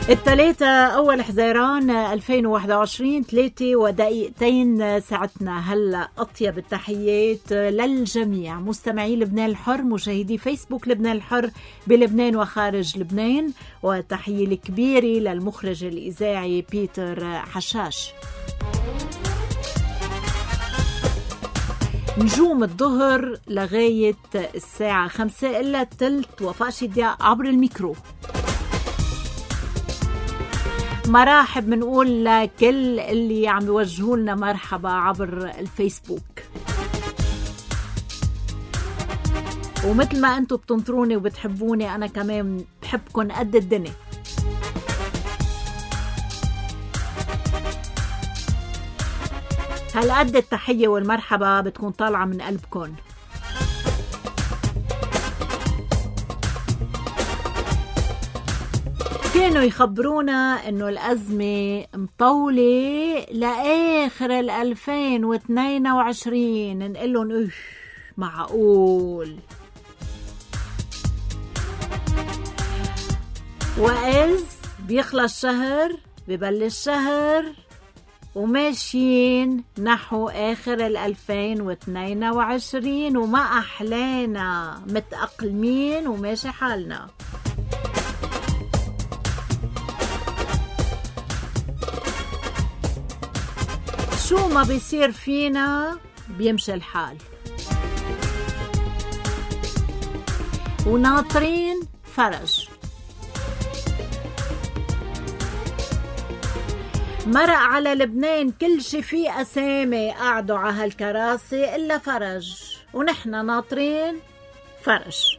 الثلاثة أول حزيران 2021 3:02 ساعتنا. هلأ أطيب التحيات للجميع مستمعي لبنان الحر، مشاهدي فيسبوك لبنان الحر بلبنان وخارج لبنان، وتحية الكبيرة للمخرج الإذاعي بيتر حشاش. نجوم الظهر لغاية الساعة 5 إلا تلت. وفاء شدياء عبر الميكرو. مرحب منقول لكل اللي عم يوجهوا لنا مرحبا عبر الفيسبوك، ومثل ما انتم بتنطروني وبتحبوني أنا كمان بحبكن قد الدنيا. هالقد التحية والمرحبا بتكون طالعة من قلبكن. كانوا يخبرونا انه الازمة مطولة لاخر 2022، نقلن معقول؟ وإذ بيخلص شهر ببلش شهر وماشيين نحو آخر 2022 وما أحلانا، متأقلمين وماشي حالنا. شو ما بيصير فينا بيمشي الحال، وناطرين فرج. مرق على لبنان كل شي فيه أسامي قعدوا على هالكراسي إلا فرج، ونحن ناطرين فرج.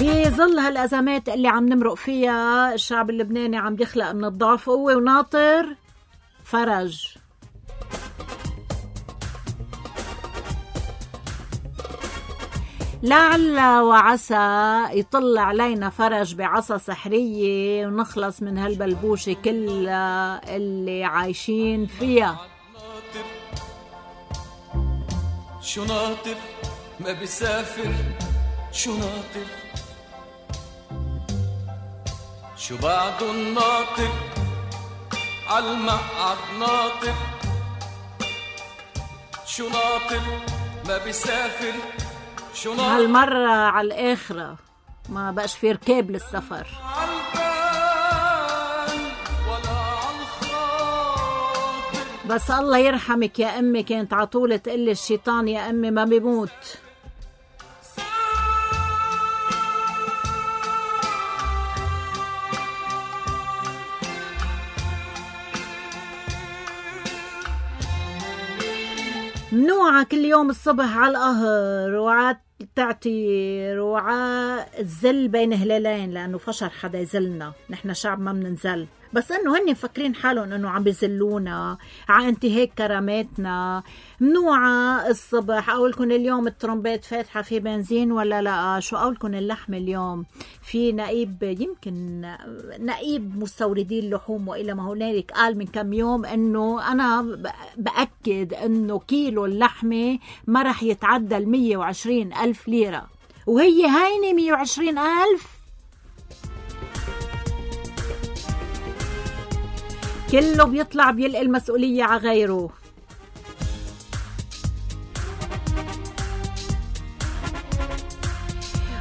بظل هالأزمات اللي عم نمرق فيها الشعب اللبناني عم بيخلق من الضعف قوة وناطر فرج. لعل وعسى يطل علينا فرج بعصا سحرية ونخلص من هالبلبوشة كلها اللي عايشين فيها. شو ناطر ما بيسافر، شو ناطر شو بعده الناطر عالمقعد ناطر، شو ناطر ما بيسافر، شو ناطر هالمرة على الآخرة ما بقاش في ركاب للسفر. بس الله يرحمك يا أمي، كانت عطولة تقلي الشيطان يا أمي ما بيموت. منوعة كل يوم الصبح على القهر وعلى التعتير وعلى الزل بين هلالين، لأنه فشر حدا يزلنا، نحن شعب ما مننزل، بس انه هن مفكرين حالهم انه عم بيزلونا على انتهاك كراماتنا. منوعة الصبح اقولكن اليوم الترومبيت فاتحة في بنزين ولا لا؟ شو اقولكن اللحم اليوم في نقيب، يمكن نقيب مستوردي اللحوم وإلى ما هنالك قال من كم يوم انه انا بأكد انه كيلو اللحمة ما رح يتعدى 120,000 ليرة، وهي هيني 120,000. كله بيطلع بيلقي المسؤولية على غيره.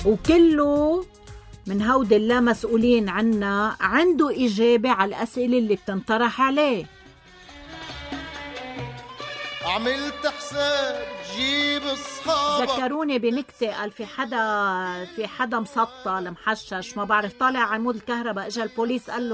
وكله من هود اللا مسؤولين عنا عنده إجابة على الأسئلة اللي بتنطرح عليه. عملت حساب جيب اصحابك. ذكروني بنكتة، قال في حدا مسطل محشش ما بعرف طالع عمود الكهرباء، اجى البوليس قال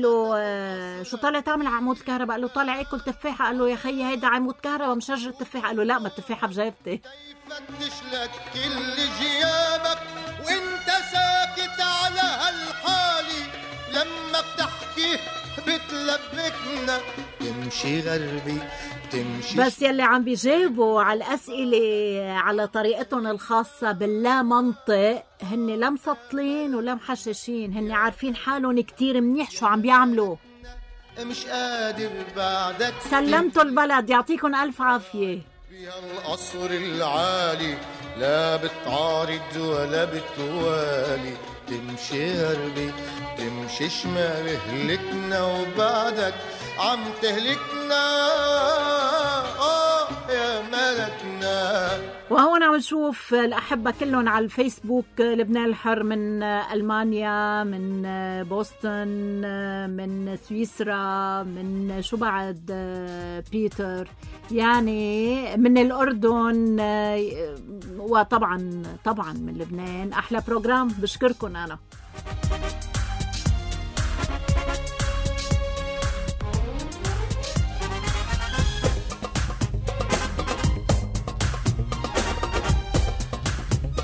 له شو طالع تعمل عمود الكهرباء؟ قال له طالع اكل تفاحة. قال له يا خيي هيدا عمود كهرباء مش شجرة تفاحة. قال له لا، ما التفاحة بجيبتي. فتش لك كل جيابك وانت ساكت على هالحالي، لما بتحكي بتلبكنا تمشي غربي تمشي. بس يلي عم بيجاوبوا على الأسئلة على طريقتهم الخاصة باللا منطق هن لا مسطلين ولا محششين، هن عارفين حالهم كتير منيح شو عم بيعملوا. مش قادر بعدك سلمتوا البلد، يعطيكم ألف عافية. فيها القصر العالي لا بتعارض ولا بتوالي، تمشي غربي تمشي شمال، هلكنا وبعدك عم تهلكنا يا ملكنا. وهون عم نشوف الأحبة كلهم على الفيسبوك، لبنان الحر من ألمانيا، من بوسطن، من سويسرا، من شو بعد بيتر، يعني من الأردن، وطبعا من لبنان. أحلى بروجرام، بشكركم أنا.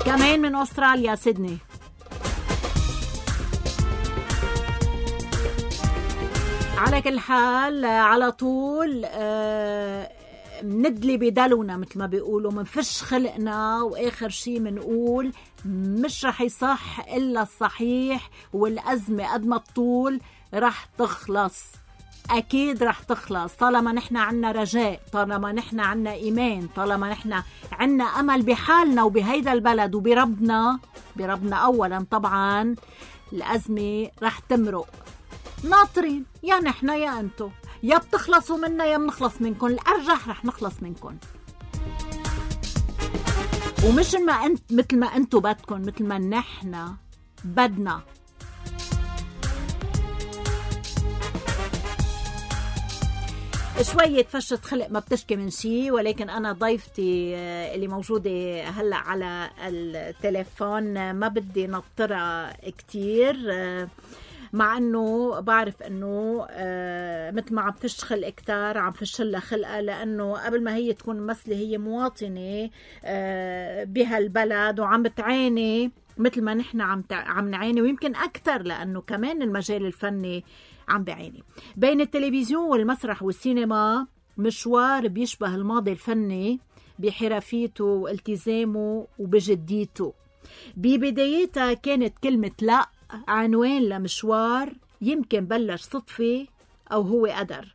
كمان من أستراليا سيدني. على كل حال على طول ندلي بدلونا مثل ما بيقولوا، منفش خلقنا، وآخر شي منقول مش رح يصح إلا الصحيح، والأزمة قد ما تطول رح تخلص، أكيد رح تخلص طالما نحن عنا رجاء، طالما نحن عنا إيمان، طالما نحن عنا أمل بحالنا وبهيدا البلد وبربنا، بربنا أولا طبعا. الأزمة رح تمرق، ناطرين يا نحن يا أنتو، يا بتخلصوا منا يا بنخلص منكم، الأرجح رح نخلص منكم، ومش مثل ما أنتو بدكم، مثل ما نحن بدنا. شوية فشة خلق ما بتشكي من شي، ولكن أنا ضيفتي اللي موجودة هلأ على التليفون ما بدي نطرها كتير، مع أنه بعرف أنه مثل ما عم تشخل كتار عم فشلها خلقها، لأنه قبل ما هي تكون ممثلة هي مواطنة بهالبلد وعم بتعاني مثل ما نحن عم نعاني، ويمكن أكتر، لأنه كمان المجال الفني عم بعاني. بين التلفزيون والمسرح والسينما مشوار بيشبه الماضي الفني بحرفيته والتزامه وبجديته. ببدايتها كانت كلمة لا عنوان لمشوار يمكن بلش صدفة أو هو قدر،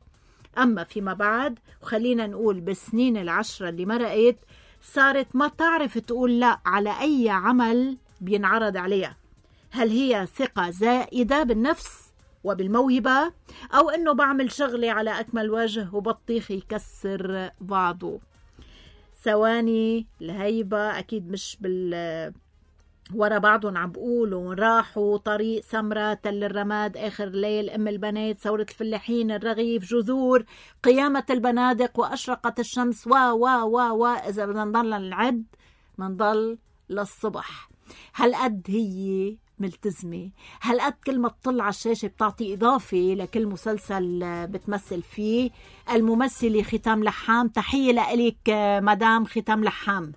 أما فيما بعد وخلينا نقول بالسنين 10 اللي مرقت صارت ما تعرف تقول لا على أي عمل بينعرض عليها. هل هي ثقة زائدة بالنفس وبالموهبة، أو أنه بعمل شغلي على أكمل وجه وبطيخ يكسر بعضه؟ ثواني الهيبة أكيد مش ورا بعضهم عم بقولوا، راحوا طريق سمرة، تل الرماد، آخر ليل، أم البنات، ثورة الفلاحين، الرغيف، جذور، قيامة البنادق، وأشرقت الشمس، إذا بدنا نضل نعد منضل للصبح. هالقد هي ملتزمة، هالقد كل ما تطلع على الشاشة بتعطي إضافة لكل مسلسل بتمثل فيه. الممثلة ختام لحام، تحية لك مدام ختام لحام.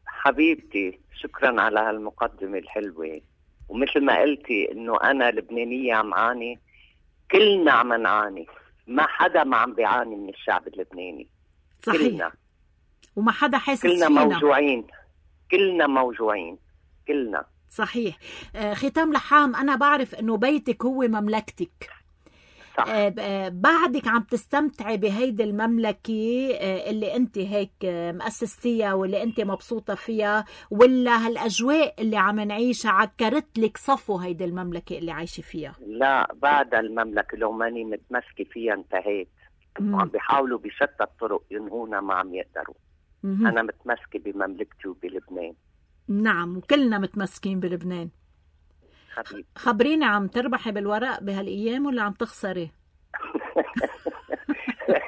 حبيبتي شكرا على هالمقدمة الحلوة، ومثل ما قلتي انه انا لبنانية عم عاني، كلنا عم نعاني، ما حدا ما عم بيعاني من الشعب اللبناني. صحيح. كلنا، وما حدا حاسس كلنا فينا، موجوعين، كلنا موجوعين، كلنا. صحيح. ختام لحام، أنا بعرف أنه بيتك هو مملكتك. صح. بعدك عم تستمتعي بهيدي المملكة اللي أنت هيك مؤسستيها واللي أنت مبسوطة فيها، ولا هالأجواء اللي عم نعيشها عكرت لك صفو هيدي المملكة اللي عايشة فيها؟ لا، بعد المملكة لو ماني متمسكة فيها انتهيت. عم بيحاولوا بشتى الطرق ينهونا، ما عم يقدروا. أنا متمسكة بمملكتي وبلبنان. نعم، وكلنا متمسكين بلبنان. حبيبي. خبريني، عم تربحي بالورق بهالأيام ولا عم تخسري؟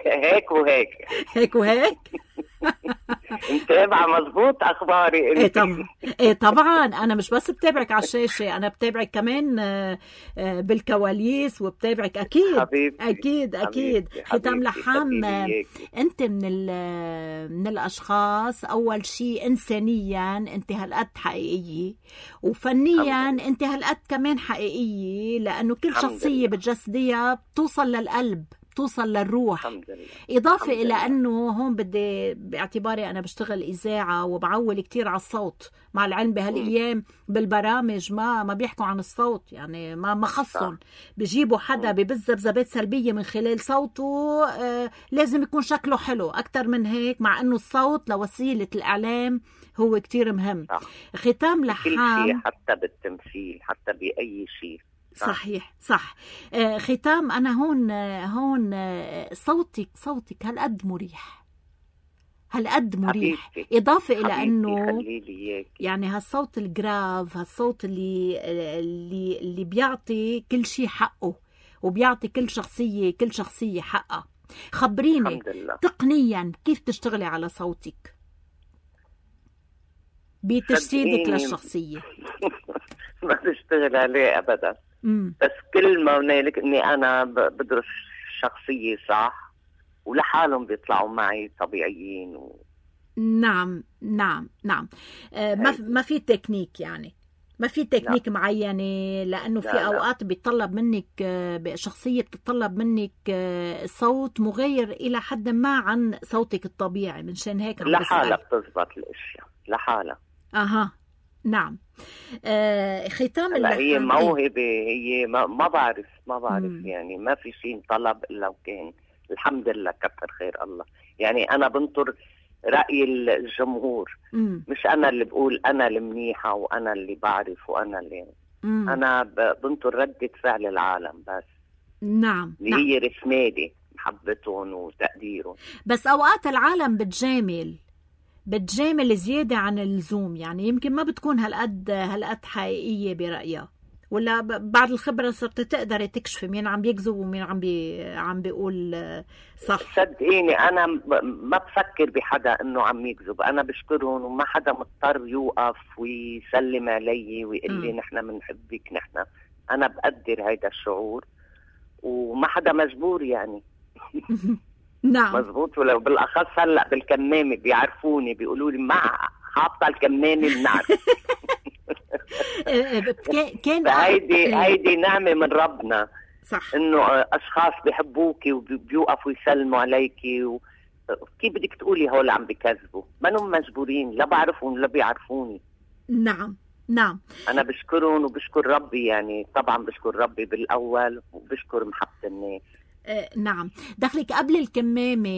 هيك وهيك. هيك وهيك. متابعة مزبوط أخباري. إيه طبعا أنا مش بس بتابعك على الشاشة، أنا بتابعك كمان بالكواليس، وبتابعك أكيد. حبيبتي. أكيد. حبيبتي. ختام لحام، أنت من الأشخاص أول شيء إنسانيا أنت هالقد حقيقية، وفنيا أنت هالقد كمان حقيقية، لأنه كل شخصية بتجسديها بتوصل للقلب، بتوصل للروح. الحمد لله. إضافة الحمد إلى لله. أنه هون بدي باعتباري أنا بشتغل إذاعة وبعول كتير على الصوت، مع العلم بهالأيام بالبرامج ما بيحكوا عن الصوت، يعني ما خصهم، بيجيبوا حدا ببز بذبات سلبية من خلال صوته. لازم يكون شكله حلو أكتر من هيك، مع أنه الصوت لوسيلة الإعلام هو كتير مهم. ختام لحام، كل شيء، حتى بالتمثيل، حتى بأي شيء. صحيح صح. ختام، أنا هون صوتك هالقد مريح، هالقد مريح. حبيبتي. إضافة إلى حبيبتي، أنه خليلي إياك. يعني هالصوت الجراف، هالصوت اللي بيعطي كل شيء حقه، وبيعطي كل شخصية حقها. خبريني الحمد لله. تقنيا كيف تشتغلي على صوتك بتجسيدك للشخصية؟ ما بشتغل عليه أبدا. بس كل ما هنالك إني أنا بدرس شخصية صح، ولحالهم بيطلعوا معي طبيعيين نعم. ما في تكنيك، يعني ما في تكنيك معينة، لأنه في أوقات بيطلب منك شخصية، بتطلب منك صوت مغير إلى حد ما عن صوتك الطبيعي، من شان هيك لحالة بتزبط الأشياء لحالة. نعم. ختام اللحام، هي موهبة، هي ما بعرف يعني ما في شيء طلب إلا وكان. الحمد لله، كتر خير الله. يعني أنا بنطر رأي الجمهور، مش أنا اللي بقول أنا المنيحة وأنا اللي بعرف وأنا اللي أنا بنطر ردة فعل العالم بس. نعم. اللي هي رسمالي، محبتهم وتقديرهم. بس أوقات العالم بتجامل زيادة عن اللزوم، يعني يمكن ما بتكون هالقد حقيقية برأيها، ولا بعد الخبرة صرت تقدري تكشفي مين عم بيكذب ومين عم بيقول صح. صدقيني أنا ما بفكر بحدا إنه عم يكذب، أنا بشكرهم، وما حدا مضطر يوقف ويسلم علي ويقول لي نحن منحبك. أنا بقدر هيدا الشعور، وما حدا مجبور يعني. نعم مزبوط. ولو بالأخص هلأ بالكمامة بيعرفوني، بيقولوا لي ما حاطة الكمامة بنعرف. هيدي نعمة من ربنا، صح، إنه أشخاص بيحبوكي وبيوقفوا يسلموا عليكي. كيف بدك تقولي هول عم بكذبوا؟ ما هم مجبورين، لا بعرفهم لا بيعرفوني. نعم. أنا بشكرهم وبشكر ربي، يعني طبعا بشكر ربي بالأول، وبشكر محبة الناس. نعم. دخلك قبل الكمامة،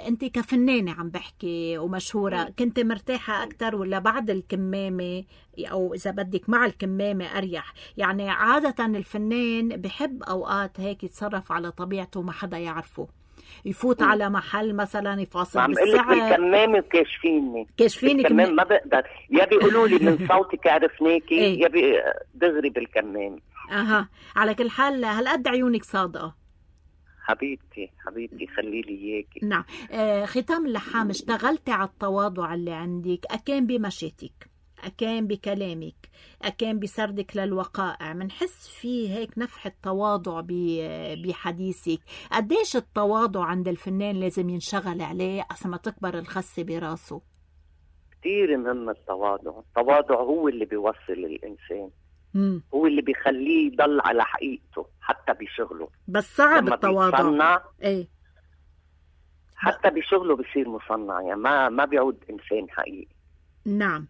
أنت كفنانة عم بحكي ومشهورة، كنت مرتاحة أكتر ولا بعد الكمامة، أو إذا بدك مع الكمامة أريح؟ يعني عادة الفنان بحب أوقات هيك يتصرف على طبيعته، ما حدا يعرفه، يفوت على محل مثلا يفاصل بالسعر. بالكمامة كاشفيني بالكمامة ما بقدر، يا بيقولوا لي من صوتك عرفناكي، يا دغري بالكمامة. على كل حال هالقد عيونك صادقة. حبيبتي خليلي إياكي. نعم. ختام اللحام، اشتغلتي على التواضع اللي عندك، أكان بمشيتك، أكان بكلامك، أكان بسردك للوقائع، منحس فيه هيك نفح التواضع بحديثك. قديش التواضع عند الفنان لازم ينشغل عليه عشان ما تكبر الخسة براسه؟ كتير مهم التواضع هو اللي بيوصل الإنسان، هو اللي بيخليه يضل على حقيقته حتى بشغله. بس صعب التواضع. حتى بشغله بيصير مصنع، يعني ما بيعود إنسان حقيقي. نعم.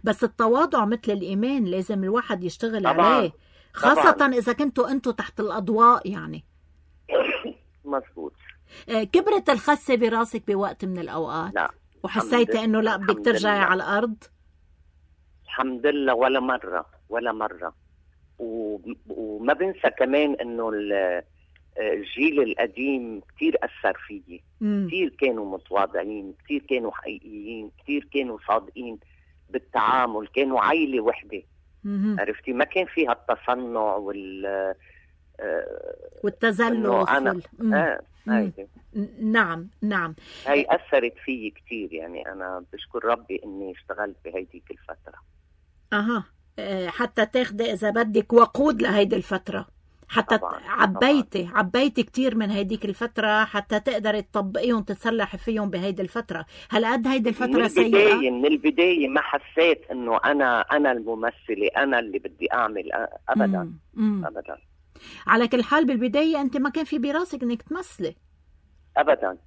بس التواضع مثل الإيمان، لازم الواحد يشتغل عليه، خاصة إذا كنتوا أنتوا تحت الأضواء يعني. مزبوط. كبرت الخسة براسك بوقت من الأوقات؟ لا. وحسيت إنه لا بدك ترجعي على الأرض؟ الحمد لله ولا مرة. وما بنسى كمان إنه الجيل القديم كتير أثر فيي، كتير كانوا متواضعين، كتير كانوا حقيقيين، كتير كانوا صادقين بالتعامل، كانوا عيلة وحدة. عرفتي، ما كان فيها التصنع والتزلف نعم. هاي أثرت فيي كتير، يعني أنا بشكر ربي إني اشتغلت بهيديك الفترة. حتى تاخدي إذا بدك وقود لهيدي الفترة، حتى عبيتي كتير من هيديك الفترة حتى تقدري تطبقيهم، تتصلحي فيهم بهيدي الفترة. هل قد هيدي الفترة سيئة؟ من البداية ما حسيت إنه أنا الممثلة، أنا اللي بدي أعمل، أبدا. على كل حال بالبداية أنت ما كان في براسك إنك تمثلي ابدا.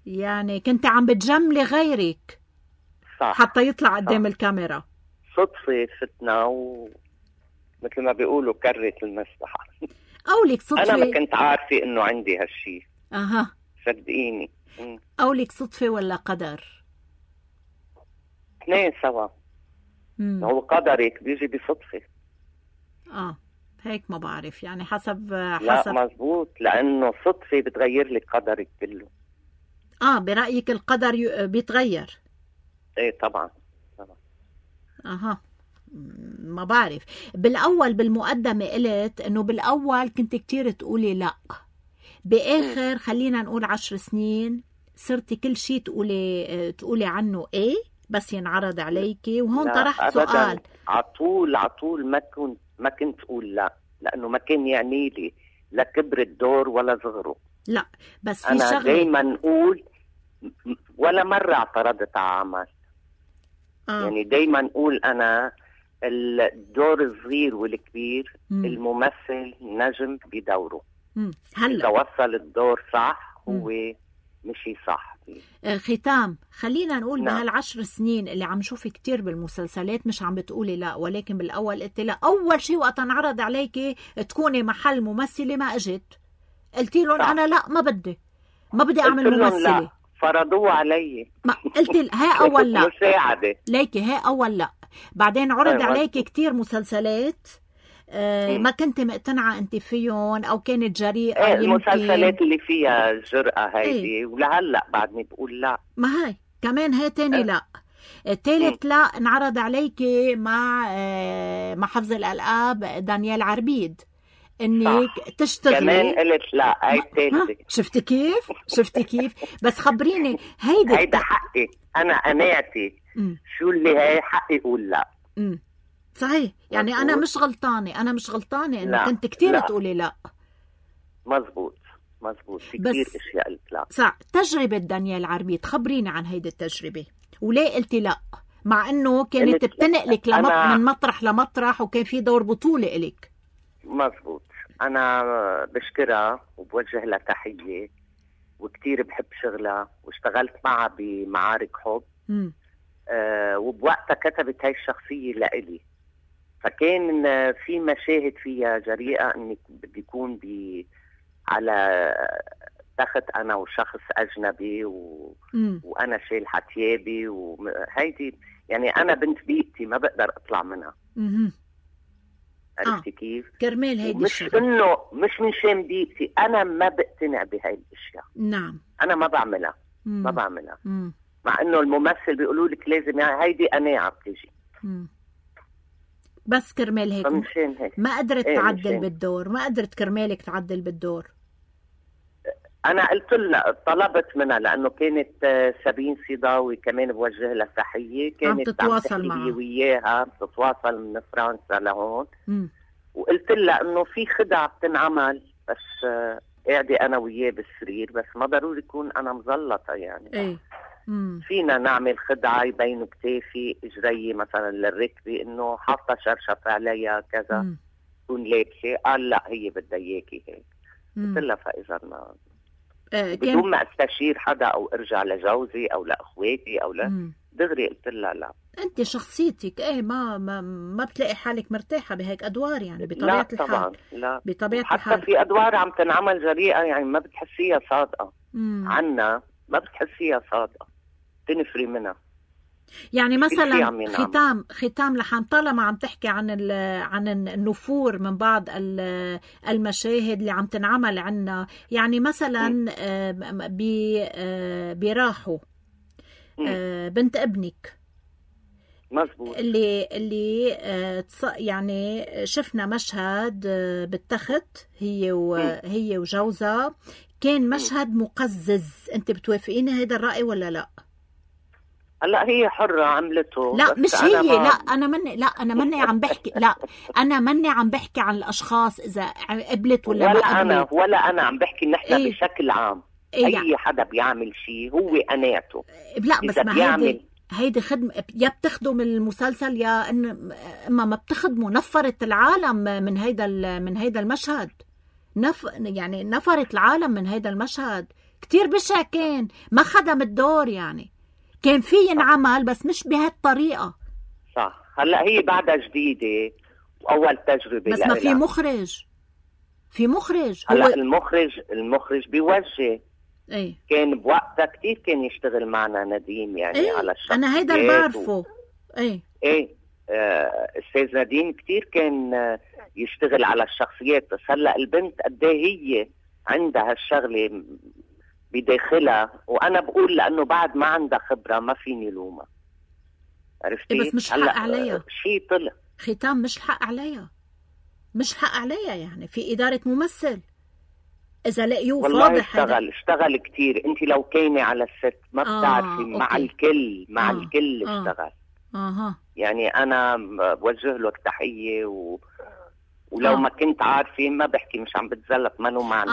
يعني كنت عم بتجملي غيرك صح. حتى يطلع قدام الكاميرا. صدفة فتنا ومثل ما بيقولوا كرت المسبحة. قولك صدفة. أنا ما كنت عارفة إنه عندي هالشي. أها. صدقيني. قولك صدفة ولا قدر؟ اثنين سوا. هو قدرك بيجي بصدفة. هيك ما بعرف يعني حسب. لا مزبوط، لأنه صدفة بتغير لك قدرك كله. برأيك القدر بيتغير؟ ايه طبعا. ما بعرف. بالأول بالمقدمة قلت إنه بالأول كنت كتير تقولي لا، بآخر خلينا نقول 10 سنين صرتي كل شيء تقولي عنه ايه بس ينعرض عليكي. وهون طرحت سؤال. عطول ما كنت أقول لا، لأنه ما كان يعني لي لا كبر الدور ولا صغره. لا بس في أنا شغلة دايما نقول ولا مرة اعترضت على عمل. يعني دايما نقول أنا الدور الصغير والكبير الممثل نجم بدوره. هلا إذا وصل الدور صح هو مشي صح. ختام، خلينا نقول بهال10 سنين اللي عم شوفي كتير بالمسلسلات مش عم بتقولي لا، ولكن بالأول قلت لا. أول شيء وقت انعرض عليكي تكوني محل ممثلة ما أجت قلتي لهم أنا لا ما بدي أعمل ممثلة. لا. فرضوه علي. ما قلت هاي أول لا مساعدة ليكي، هاي أول لا. بعدين عرض عليكي كتير مسلسلات ما كنت مقتنعة أنت فيهم أو كانت جريئة. المسلسلات اللي فيها جرأة هيدي ولهلأ بعدني بقول لا. ما هاي كمان هاي تاني لا. الثالث لا انعرض عليكي مع حفظ الألقاب دانيال عربيد انك تشتغلي. كمان قلت لا. هاي الثالثة. شفتي كيف بس خبريني هيدا حقي أنا قناعتي. شو اللي هاي حقي أقول لا. صحيح. يعني أنا مش غلطانة إنه كنت كتير تقولي لا. مزبوط في كتير اشياء قلت لا. صح. تجربة دانيال عربيد خبريني عن هيدي التجربة وليه قلتي لا مع انه كانت بتنقلك من مطرح لمطرح وكان في دور بطولة إلك. مزبوط. انا بشكرها وبوجه لها تحية وكتير بحب شغلها واشتغلت معها بمعارك حب. وبوقتها كتبت هاي الشخصية لإلي، فكان في مشاهد فيها جريئة اني بدي يكون على تخت انا وشخص اجنبي وانا شايل حتيابي وهيدي يعني انا بنت بيئتي ما بقدر اطلع منها. عرفتي كيف؟ كرمال هيدي مش انه مش من شان بيئتي، انا ما بقتنع بهاي الاشياء. نعم. انا ما بعملها. مع انه الممثل بيقولوا لك لازم يعني هيدي قناعة بتجي. بس كرمال هيك ما قدرت تعدل بالدور، ما قدرت كرمالك تعدل بالدور. انا قلت لها طلبت منها لانه كانت سابين صيداوي كمان بوجه لها تحيه، كانت تتواصل معها وياها بتتواصل من فرنسا لهون. وقلت لها انه في خدعه بتنعمل بس قاعده انا وياه بالسرير، بس ما ضروري يكون انا مزلطه يعني. فينا نعمل خدعه يبينوا كتافي اجري مثلا للركبه انه حاطه شرشف عليها كذا تكون لابسه. قال لا هي بدها اياكي هيك. قلت لها فاذا ما بدون ما استشير حدا او ارجع لجوزي او لاخواتي او دغري قلت لها لا. انت شخصيتك ما بتلاقي حالك مرتاحه بهيك ادوار يعني بطبيعه الحال. طبعا لا بطبيعه حتى الحال. في ادوار عم تنعمل جريئه يعني ما بتحسيها صادقه. عنا ما بتحسيها صادقه، تنفري منها. يعني مثلا ختام لحن طالما عم تحكي عن النفور من بعض المشاهد اللي عم تنعمل عنا، يعني مثلا براحوا بنت ابنك مزبوط اللي يعني شفنا مشهد بالتخت هي وجوزها، كان مشهد مقزز. انت بتوافقيني هيدا الرأي ولا لا؟ هلا هي حرة عملته. لا مش هي انا مني عم بحكي. لا انا مني عم بحكي عن الاشخاص اذا قبلت ولا ما قبلت. ولا انا عم بحكي نحن بشكل عام. اي حدا بيعمل شيء هو قناعته. لا بس ما هيدي خدمة، يا بتخدم المسلسل يا اما ما بتخدمه. نفرت العالم من هيدا المشهد. يعني نفرت العالم من هيدا المشهد. كتير بشع كان، ما خدم الدور يعني. كان في ينعمل بس مش بهالطريقة. صح. هلأ هي بعدها جديدة وأول تجربة بس ما في مخرج. في مخرج. هو هلأ المخرج بيوجه. ايه. كان بوقتها كتير كان يشتغل معنا نديم يعني ايه؟ على الشخصيات. أنا هيدا اللي بعرفه. ايه أستاذ نديم كتير كان يشتغل على الشخصيات. بس هلأ البنت قديه هي عندها الشغلة بداخلها، وأنا بقول لأنه بعد ما عندها خبرة ما فيني لومها. عرفتي؟ بس مش حق عليها شيء طلع ختام. مش حق عليها، مش حق عليها يعني. في إدارة ممثل إذا لقيوه فاضح. اشتغل كتير. انت لو كاينة على الست ما بتعرفي. مع الكل اشتغل. يعني أنا بوجه له التحية ولو ما كنت عارفة ما بحكي مش عم بتزلط ما له معنى.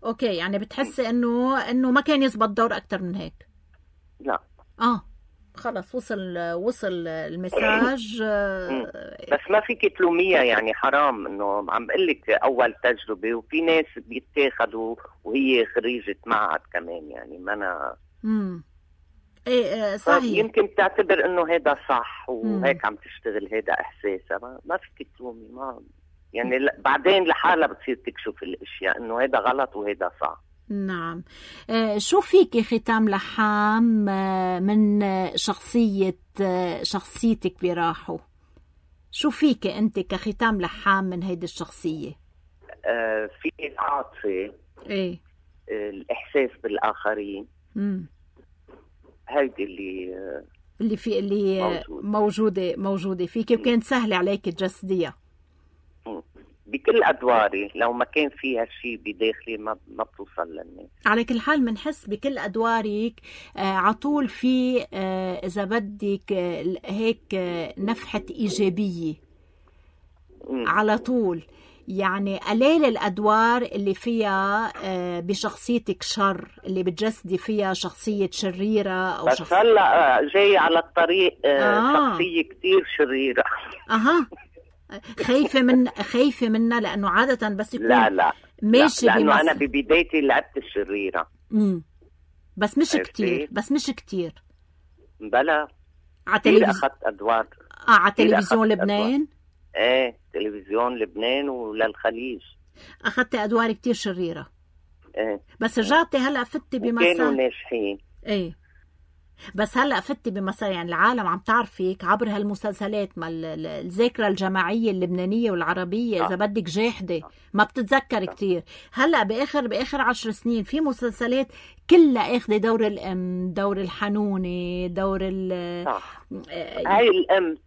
أوكي يعني بتحسي إنه ما كان يزبط دور أكتر من هيك؟ لا. خلص وصل المساج. بس ما فيك تلوميها يعني. حرام انه عم بقلك اول تجربة، وفي ناس بيتاخدوا وهي خريجة معهد كمان يعني. ما انا ايه صحيح. يمكن تعتبر انه هيدا صح وهيك عم تشتغل، هيدا احساسها. ما فيك تلومي. ما يعني بعدين لحالها بتصير تكشف الاشياء انه هيدا غلط وهيدا صح. نعم. شو فيك ختام لحام من شخصيتك براحو؟ شو فيك انت كختام لحام من هيدي الشخصية؟ في العاطفة. ايه. الاحساس بالاخرين. هيدي اللي موجودة فيك، وكانت سهلة عليك تجسديها. بكل أدواري. لو ما كان فيها شيء بداخلي ما بتوصل للناس. على كل حال منحس بكل أدوارك عطول في إذا بدك هيك نفحة إيجابية على طول. يعني قليل الأدوار اللي فيها بشخصيتك شر، اللي بتجسدي فيها شخصية شريرة أو بس هلأ جاي على الطريق شخصية كتير شريرة. خايفة منها لأنه عادة بس يكون لا ماشي. لأنه أنا ببدايتي لعبت الشريرة. بس مش كتير. بلا على أخذت أدوار على تلفزيون لبنان. ايه تلفزيون لبنان وللخليج أخذت أدوار كتير شريرة. ايه بس رجعتي هلأ فتي بمسار كانوا ناجحين. ايه بس هلأ فتي بمسار يعني العالم عم تعرفك عبر هالمسلسلات. ما الذاكرة الجماعية اللبنانية والعربية إذا بدك جاحدة ما بتتذكر كتير. هلأ بآخر 10 سنين في مسلسلات كلها اخذ دور الأم، دور الحنونة، دور صح.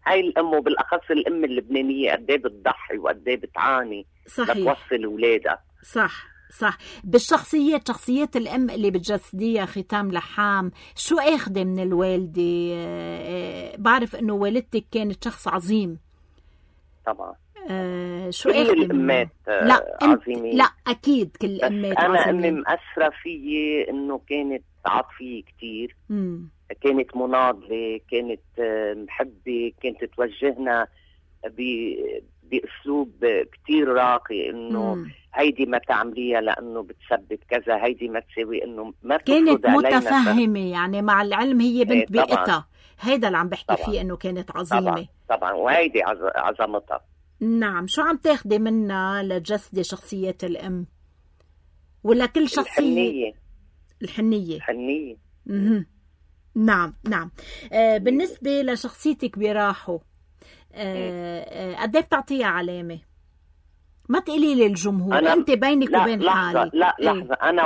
هاي الأم وبالأخص الأم اللبنانية قديه بتضحي وقديه بتعاني لتوصل أولادها. صح. شخصيات الأم اللي بتجسديها ختام لحام، شو أخذ من الوالدة؟ بعرف إنه والدتك كانت شخص عظيم طبعا. شو أخذ الأمات عظيمين. لا أكيد كل الأمات عظيمين. أنا عظيمين. أمي مأثرة فيي إنه كانت عاطفية كتير. كانت مناضلة، كانت محبة، كانت توجهنا بأسلوب كتير راقي إنه هيدي ما تعمليها لأنه بتسبب كذا، هيدي ما تسوي، إنه ما كانت متفهمة يعني. مع العلم هي بنت بيئتها. هيدا اللي عم بحكي فيه إنه كانت عظيمة. طبعا وهيدي عظمتها. نعم. شو عم تاخدي منها لجسد شخصية الأم ولا كل شخصية؟ الحنية. نعم. بالنسبة لشخصيتك براحو قد ايه بتعطيها علامة؟ ما تقولي لي الجمهور، انت بينك وبين حالك. لا لحظة. انا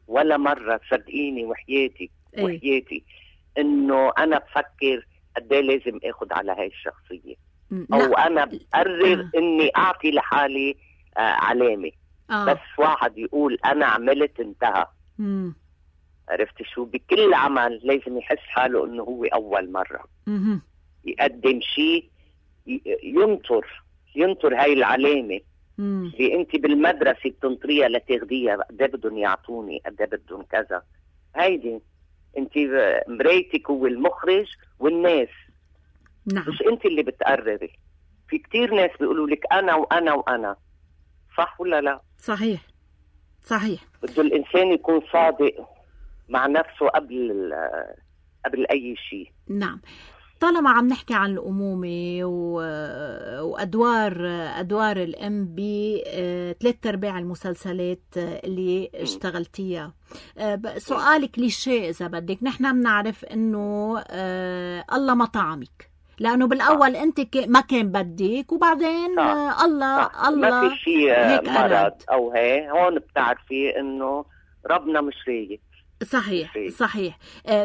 ولا مرة صدقيني وحياتي انه انا بفكر قد ايه لازم اخذ على هاي الشخصية او انا بقرر اني اعطي لحالي علامة. بس واحد يقول انا عملت انتهى. عرفت شو؟ بكل عمل لازم يحس حاله انه هو اول مرة يقدم شيء، ينطر هاي العلامة اللي انت بالمدرسة بتنطريها لتاخديها. قد ايه بدهم يعطوني، قد ايه بدهم كذا. هيدي انت مرايتك هو المخرج والناس. نعم. مش انت اللي بتقرري. في كتير ناس بيقولوا لك انا وانا وانا. صح ولا لا؟ صحيح صحيح. بده الإنسان يكون صادق مع نفسه قبل أي شيء. نعم. طالما عم نحكي عن الأمومة وأدوار الأم ب3/4 المسلسلات اللي اشتغلتيها، سؤال كليشيه إذا بدك، نحن بنعرف إنه الله ما طعمك، لأنه بالأول أنت ما كان بدك، وبعدين الله ما في شيء مرض أو هون بتعرفي إنه ربنا مش رايد. صحيح صحيح.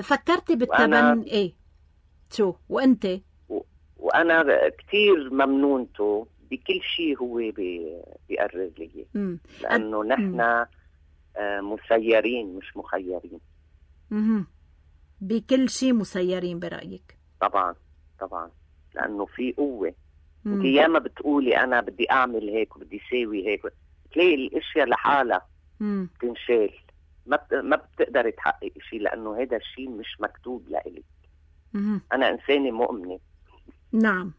فكرتي بالتبني إيه شو وأنت؟ وأنا كتير ممنونته بكل شيء هو بيقرر لي، لأنه نحن مسيرين مش مخيرين. بكل شيء مسيرين برأيك؟ طبعا طبعا، لأنه في قوة. انت ياما بتقولي أنا بدي أعمل هيك وبدي ساوي هيك، تلاقي الأشياء لحالها تنشال، ما بتقدر تحقق شيء، لأنه هذا الشيء مش مكتوب لإلي. أنا إنسانة مؤمنة. نعم.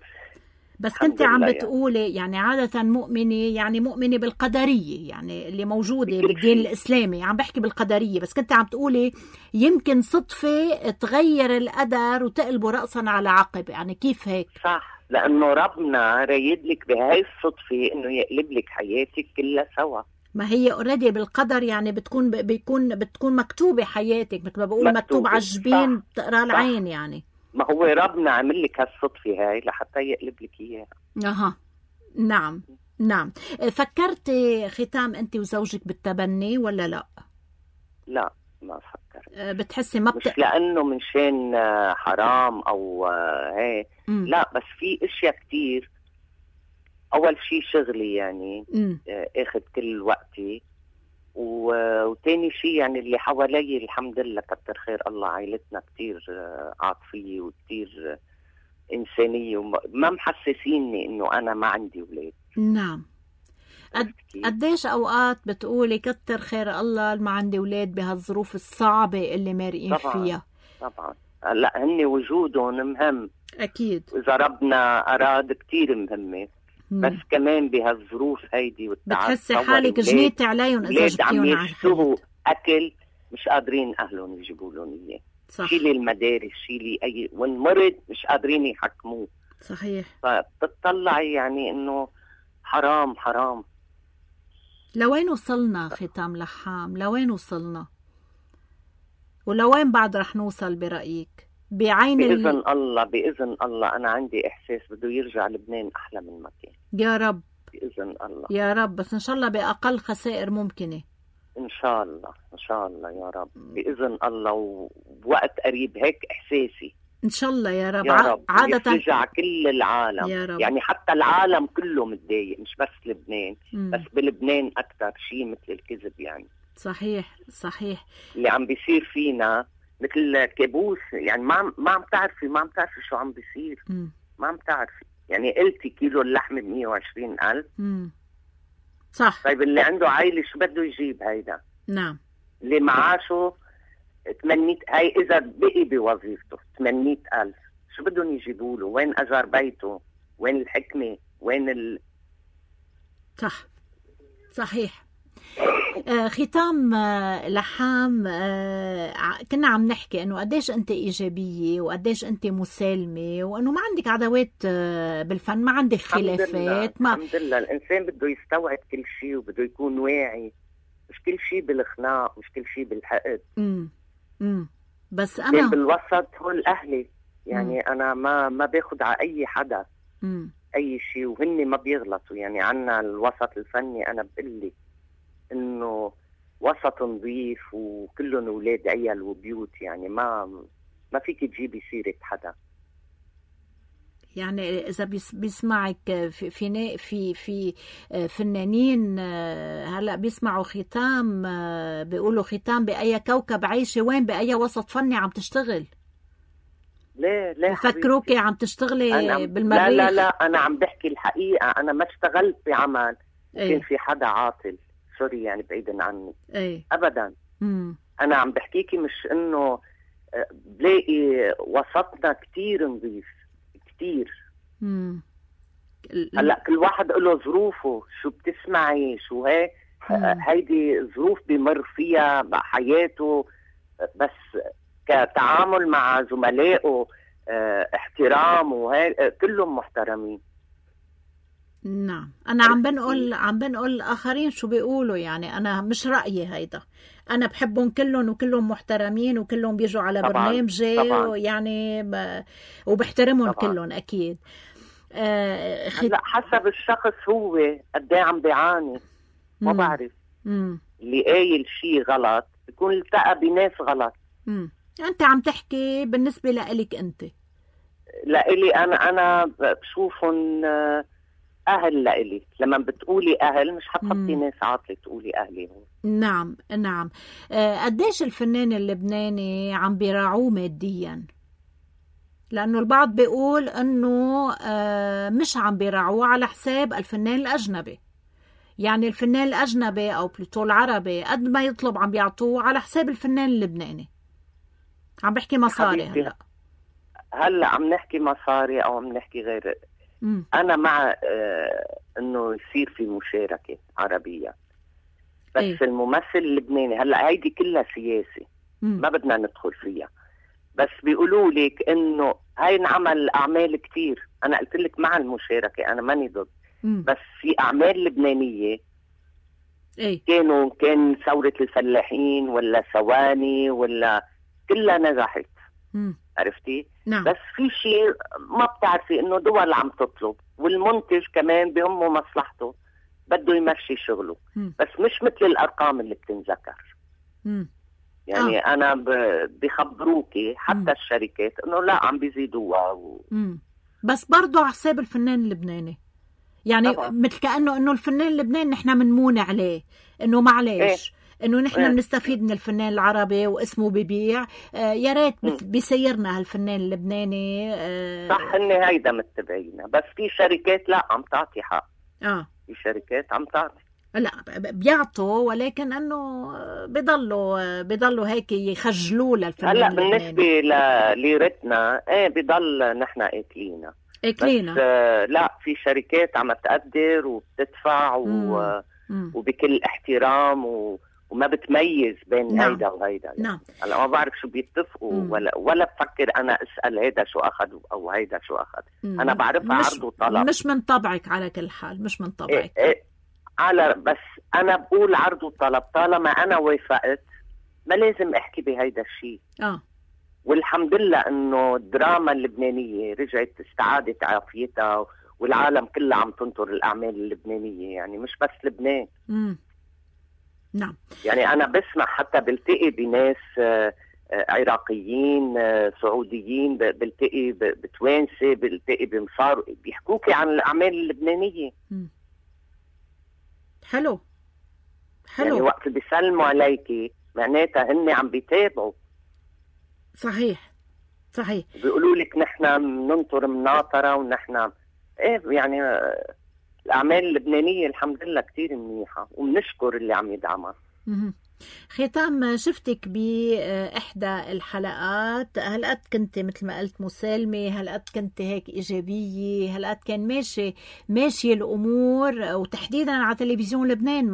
بس كنت عم بتقولي يعني عادة مؤمنة، يعني مؤمنة بالقدرية، يعني اللي موجودة بالدين الإسلامي، عم بحكي بالقدرية. بس كنت عم تقولي يمكن صدفة تغير القدر وتقلبه رأسا على عقب، يعني كيف هيك؟ صح، لأنه ربنا رايد لك بهاي الصدفة إنه يقلب لك حياتك كلها سوا. ما هي اوريدي بالقدر، يعني بتكون مكتوبة حياتك، مثل ما بقول مكتوب على الجبين بتقرا العين يعني. ما هو ربنا عمل لك هالصدفة هاي لحتى يقلب لك إياها. نعم نعم. فكرتي ختام أنت وزوجك بالتبني ولا لا؟ لا ما فكرت. بتحسي مش لأنه من شان حرام أو هاي، لا، بس في اشياء كتير. أول شيء شغلي يعني اخد كل وقتي، وتاني شيء يعني اللي حوالي الحمد لله كتر خير الله، عائلتنا كتير عاطفية وكتير إنسانية، وما محسسيني إنه أنا ما عندي أولاد. نعم. قديش أوقات بتقولي كتر خير الله ما عندي أولاد بهالظروف الصعبة اللي مارقين فيها؟ طبعا. لا، هن وجودهم مهم أكيد، إذا ربنا أراد كتير مهمة. بس كمان بهالظروف هيدي والتعب بتحسي حالك جنيتي عليهم إذا جبتيهم على الحياة. أكل مش قادرين أهلهم يجيبوا لهم إياه. شيلي المدارس، شيلي أي والمرض مش قادرين يحكموه. صحيح. فبتطلعي يعني إنه حرام حرام. لوين وصلنا ختام لحام؟ لوين وصلنا؟ ولوين بعد رح نوصل برأيك؟ بإذن الله بإذن الله. أنا عندي إحساس بده يرجع لبنان أحلى من ما كان. يا رب بإذن الله يا رب، بس إن شاء الله بأقل خسائر ممكنة. إن شاء الله إن شاء الله يا رب بإذن الله، وبوقت قريب هيك إحساسي إن شاء الله يا رب. يا رب عادة يرجع كل العالم يا رب. يعني حتى العالم كله متضايق، مش بس لبنان. بس بلبنان أكتر شيء مثل الكذب يعني. صحيح صحيح. اللي عم بيصير فينا مثل كابوس يعني. ما عم تعرفي شو عم بيصير. ما عم تعرفي يعني. قلتي كيلو اللحمة ب120,000. صح. طيب اللي عنده عائلة شو بده يجيب هيدا؟ نعم. اللي معاشه 800، هاي إذا بقي بوظيفته 800,000، شو بدهم يجيبوا له؟ وين أجار بيته؟ وين الحكمة؟ وين صح صحيح. ختام لحام، كنا عم نحكي انه قديش انت ايجابيه وقديش انت مسالمه، وانه ما عندك عداوات بالفن، ما عندك خلافات. الحمد لله. الانسان بده يستوعب كل شيء وبده يكون واعي، مش كل شيء بالخناق، مش كل شيء بالحقد. بس انا بالوسط هول اهلي يعني. انا ما باخد على اي حدا اي شيء، وهن ما بيغلطوا يعني. عنا الوسط الفني انا بقلي انه وسط نظيف وكلهم اولاد عيال وبيوت يعني. ما فيك تجيبي سيرة حدا يعني. اذا بيسمعك في فنانين هلا بيسمعوا ختام، بيقولوا ختام باي كوكب عايشه؟ وين باي وسط فني عم تشتغل؟ لا بفكروكي عم تشتغلي بالمريخ. لا انا عم بحكي الحقيقه. انا ما اشتغلت بعمل كان في حدا عاطل، سوري يعني، بعيدا عني. ابدا. انا عم بحكيكي مش انه بلاقي وسطنا كتير نظيف كتير. هلا كل واحد له ظروفه، شو بتسمعي شو هيك، هيدي ظروف بمر فيها بحياته، بس كتعامل مع زملائه احترام وهيك كلهم محترمين. نعم. أنا عم بنقل الآخرين شو بيقولوا، يعني أنا مش رأيي هيدا، أنا بحبهم كلهم وكلهم محترمين وكلهم بيجوا على برنامجي يعني وبحترمهم كلهم أكيد. لا حسب الشخص هو قد ايه عم بيعاني، ما بعرف. اللي قايل شيء غلط بيكون التقى بناس غلط. أنت عم تحكي بالنسبة لإلك أنت. لإلي أنا بشوفهم أهل لإلي. لما بتقولي أهل مش حتحطي ناس عاطلة تقولي أهلي هون. نعم نعم. قديش الفنان اللبناني عم بيراعوه ماديا؟ لأنه البعض بيقول أنه مش عم بيراعوه على حساب الفنان الأجنبي، يعني الفنان الأجنبي أو بلوتو العربي قد ما يطلب عم بيعطوه على حساب الفنان اللبناني. عم بحكي مصاري. هلأ عم نحكي مصاري أو عم نحكي غير. أنا مع أنه يصير في مشاركة عربية، بس الممثل اللبناني هلأ هيدي كلها سياسي ما بدنا ندخل فيها، بس بيقولوا لك انه هاي انعمل اعمال كتير. انا قلت لك مع المشاركه، انا ماني ضد، بس في اعمال لبنانيه كان ثوره الفلاحين ولا ثواني ولا كلها نجحت. عرفتي؟ نعم. بس في شيء ما بتعرفي انه دول عم تطلب، والمنتج كمان بهمه مصلحته بده يمشي شغله، بس مش مثل الارقام اللي بتنذكر. يعني أنا بيخبروكي حتى الشركات إنه لا عم بيزيدوها بس برضو على حساب الفنان اللبناني، يعني مثل كأنه إنه الفنان اللبناني نحن منمون عليه، إنه معليش إنه نحن بنستفيد من الفنان العربي واسمه ببيع، يا ريت بيسيرنا هالفنان اللبناني. صح إن هيدا متبعينا، بس في شركات لا عم تعطي حق. في شركات عم تعطي، لا بيعطوا، ولكن انه بيضلوا هيك يخجلوا للفنان. هلا بالنسبه لليرتنا بضل نحن اكلينا بس لا في شركات عم تقدر وبتدفع وبكل احترام وما بتميز بين هيدا وهيدا. نعم. هلا ما بعرف شو بيتفقوا ولا بفكر انا اسال هيدا شو اخذ او هيدا شو اخذ. انا بعرفها عرض وطلب. مش من طبعك على كل حال، مش من طبعك. بس أنا بقول عرض وطلب، طالما أنا وافقت ما لازم أحكي بهيدا الشيء. والحمد لله إنه الدراما اللبنانية رجعت استعادت عافيتها، والعالم كله عم تنطر الأعمال اللبنانية، يعني مش بس لبنان. نعم. يعني أنا بسمع حتى بلتقي بناس عراقيين سعوديين، بلتقي بتوانسة، بلتقي بمصار بيحكوكي عن الأعمال اللبنانية. حلو. يعني وقت بيسلموا عليكي معناتها هن عم بيتابعوا. صحيح. بيقولوا لك نحن ننطر مناطرة ونحن يعني الأعمال اللبنانية الحمد لله كتير منيحة وبنشكر اللي عم يدعمها. ختام، شفتك بإحدى الحلقات، هالقد كنت مثل ما قلت مسالمة، هالقد كنت هيك إيجابية، هالقد كان ماشي الأمور، وتحديدا على تلفزيون لبنان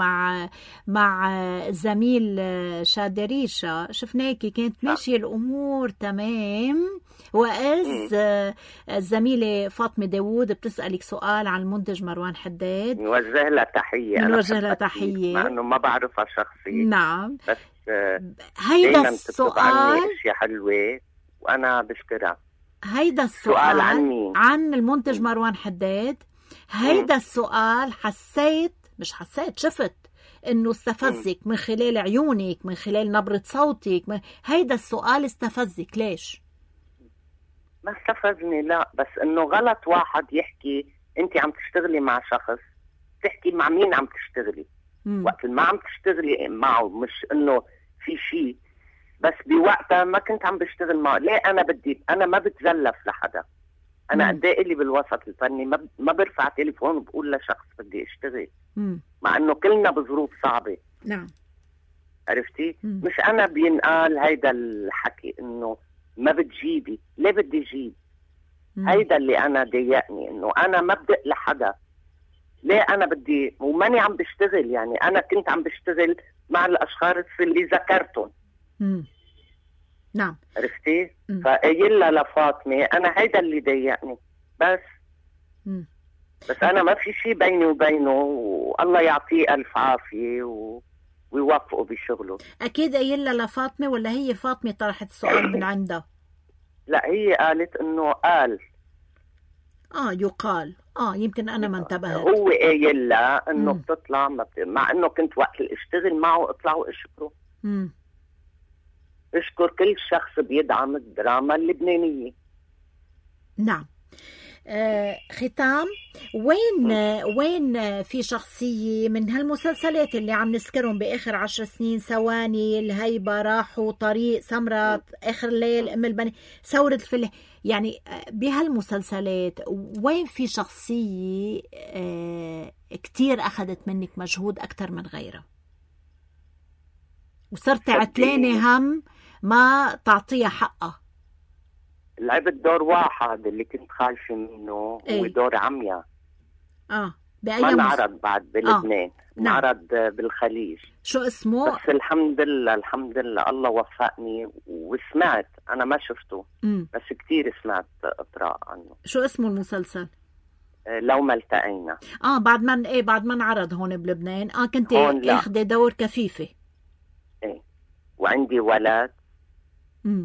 مع الزميل شادي ريشة، شفناكي كانت ماشية الأمور تمام. وإذ الزميلة فاطمة داوود بتسألك سؤال عن المنتج مروان حداد، نوجه لها تحية مع أنه ما بعرفها شخصيا. نعم. بس هيدا السؤال أشياء حلوة وأنا بشكرها. هيدا السؤال عن مين؟ عن المنتج مروان حداد. هيدا السؤال شفت إنه استفزك من خلال عيونك، من خلال نبرة صوتك، هيدا السؤال استفزك ليش؟ ما استفزني لا، بس انه غلط واحد يحكي انت عم تشتغلي مع شخص، تحكي مع مين عم تشتغلي. وقت ما عم تشتغلي معه، مش انه في شيء، بس بوقتها ما كنت عم بشتغل معه. ليه انا ما بتزلف لحدا. انا قد ايه اللي بالوسط الفني ما برفع تليفون وبقول لشخص بدي اشتغل، مع انه كلنا بظروف صعبة. نعم. عرفتي؟ مش انا بينقال هيدا الحكي انه ما بتجيبي. ليه بدي اجيب؟ هيدا اللي أنا ضايقني، إنه أنا ما بدق لحدا. ليه أنا بدي وماني عم بشتغل؟ يعني أنا كنت عم بشتغل مع الأشخاص اللي ذكرتهم. نعم، عرفتي؟ فقايلها لفاطمة أنا هيدا اللي ضايقني بس. بس أنا ما في شيء بيني وبينه، والله يعطيه ألف عافية ويوفقه بشغله. أكيد قايلها لفاطمة ولا هي فاطمة طرحت السؤال من عندها؟ لا، هي قالت إنه قال. يقال. يمكن أنا ما انتبهت. هو قايل لها إنه بتطلع مع إنه كنت وقت اللي اشتغل معه اطلع واشكره. اشكر كل شخص بيدعم الدراما اللبنانية. نعم. ختام، وين في شخصية من هالمسلسلات اللي عم نذكرهم بآخر 10 سنين، ثواني، الهيبة، راحوا، طريق، سمرة، آخر الليل، أم البني، ثورة الفلاح، يعني بهالمسلسلات وين في شخصية كتير أخذت منك مجهود أكتر من غيرها وصرت عتلانة هم ما تعطيها حقها؟ لعبت دور واحد اللي كنت خايفة منه. هو دور عميا. ما انعرض بعد بلبنان. انعرض بالخليج. شو اسمه؟ بس الحمد لله الله وفقني وسمعت. أنا ما شفته بس كتير سمعت إطراء عنه. شو اسمه المسلسل؟ لو ما التقينا. بعد ما انعرض هون بلبنان. كنت اخذ دور كفيفة. وعندي ولد.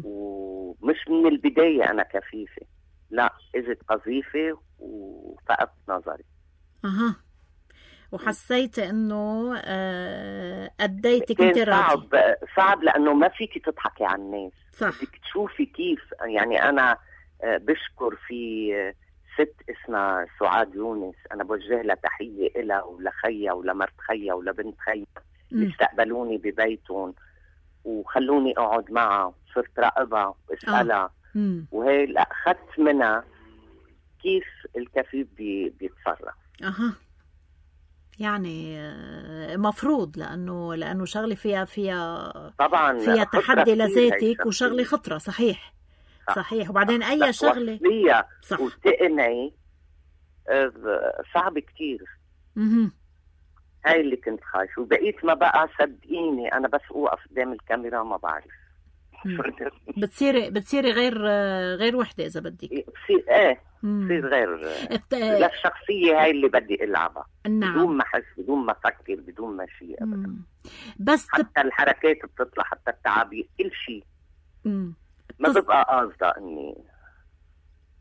ومش من البداية أنا كفيفة، لا، إجت قذيفة وفقدت نظري. وحسيت إنه أديتك أنت راضي. صعب لأنه ما فيك تضحكي على الناس. صح. بدك تشوفي كيف. يعني أنا بشكر في ست اسمها سعاد يونس، أنا بوجه لها تحية إلها ولخيها ولمرت خيها ولبنت خيها اللي استقبلوني ببيتهم وخلوني أقعد معها، صرت راقبها واسألها. وهي أخذت منها كيف الكفيف بيتصرف. يعني مفروض لأنه شغلة فيها طبعا فيها تحدي لذاتك وشغلة خطرة. صحيح. وبعدين أي شغلة وتقنعي صعب كتير. هاي اللي كنت خايف. وبقيت ما بقى صدقيني أنا بس أوقف قدام الكاميرا ما بعرف. بتصيري غير وحدة إذا بدك. بتصير غير للشخصية هاي اللي بدي ألعبها. نعم. بدون ما أحس، بدون ما أفكر، بدون ما شيء أبدا. بس حتى الحركات بتطلع، حتى التعابير، كل شيء ما ببقى قاصدة إني.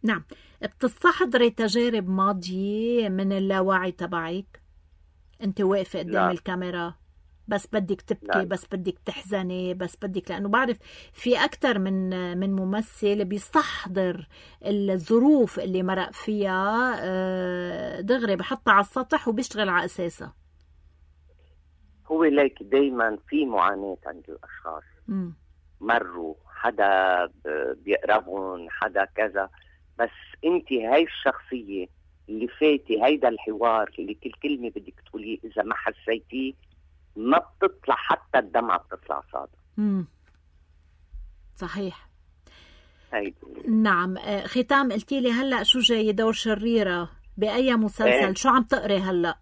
نعم. بتستحضري تجارب ماضية من اللاوعي تبعك؟ أنت واقفة قدام الكاميرا بس بدك تبكي. لا. بس بدك تحزني، بس بدك، لأنه بعرف في أكتر من ممثل بيستحضر الظروف اللي مرق فيها دغري بحطها على السطح وبيشتغل على أساسها. هو ليك دايما في معاناة عند الأشخاص. مروا، حدا بيقربون، حدا كذا، بس انت هاي الشخصية اللي فاتي هيدا الحوار اللي كل كلمة بدك تقوليه إذا ما حسيتيه ما بتطلع، حتى الدمعة بتطلع صادة. صحيح. هيدا. نعم. ختام، قلتي لي هلأ شو جاي دور شريرة بأي مسلسل؟ شو عم تقري هلأ؟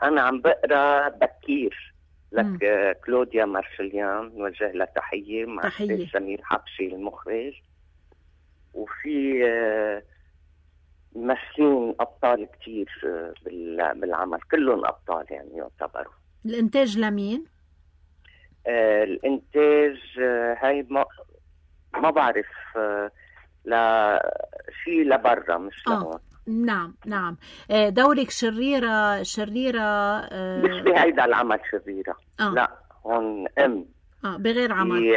أنا عم بقرا بكير لك كلوديا مارشليان، نوجه لها تحية، مع سمير حبشي المخرج. وفي ممثلين أبطال كتير بالعمل، كلهم أبطال يعني يعتبروا. الإنتاج لمين؟ الإنتاج هاي ما بعرف، شيء لبرا مش لهون. نعم. دورك شريرة مش بهيدا العمل شريرة. لا، هون بغير عمل.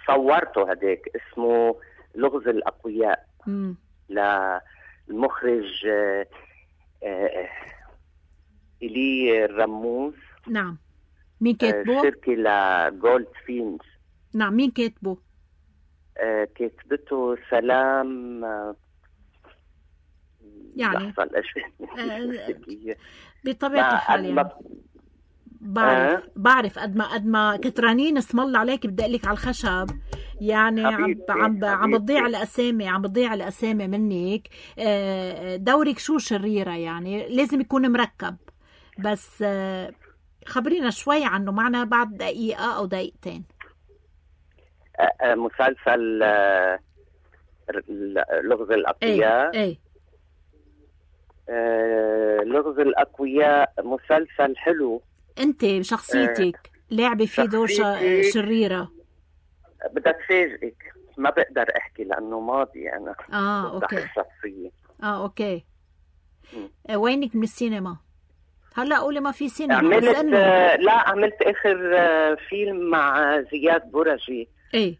صورته هداك اسمه لغز الأقوياء. للمخرج إلي الرموز. نعم. مين كاتبه؟ شركة لجولد فينز. نعم. مين كاتبه؟ كاتبته سلام يعني بطبيعة الحال يعني بعرف قد ما كترانين اسم الله عليك بدي اقلك على الخشب يعني حبيبتي، عم بتضيع الأسامي منك. دورك شو شريرة؟ يعني لازم يكون مركب، بس خبرينا شوي عنه معنا بعد دقيقة أو دقيقتين. مسلسل لغز الأقوياء. ايه لغز الأقوياء مسلسل حلو. انت بشخصيتك لعبي فيه دور شريرة. بدك فاجئك، ما بقدر احكي لانه ماضي انا. اوكي. الشخصية. اوكي. وينك من السينما؟ هلا قولي ما في سينما. عملت اخر فيلم مع زياد برجي. ايه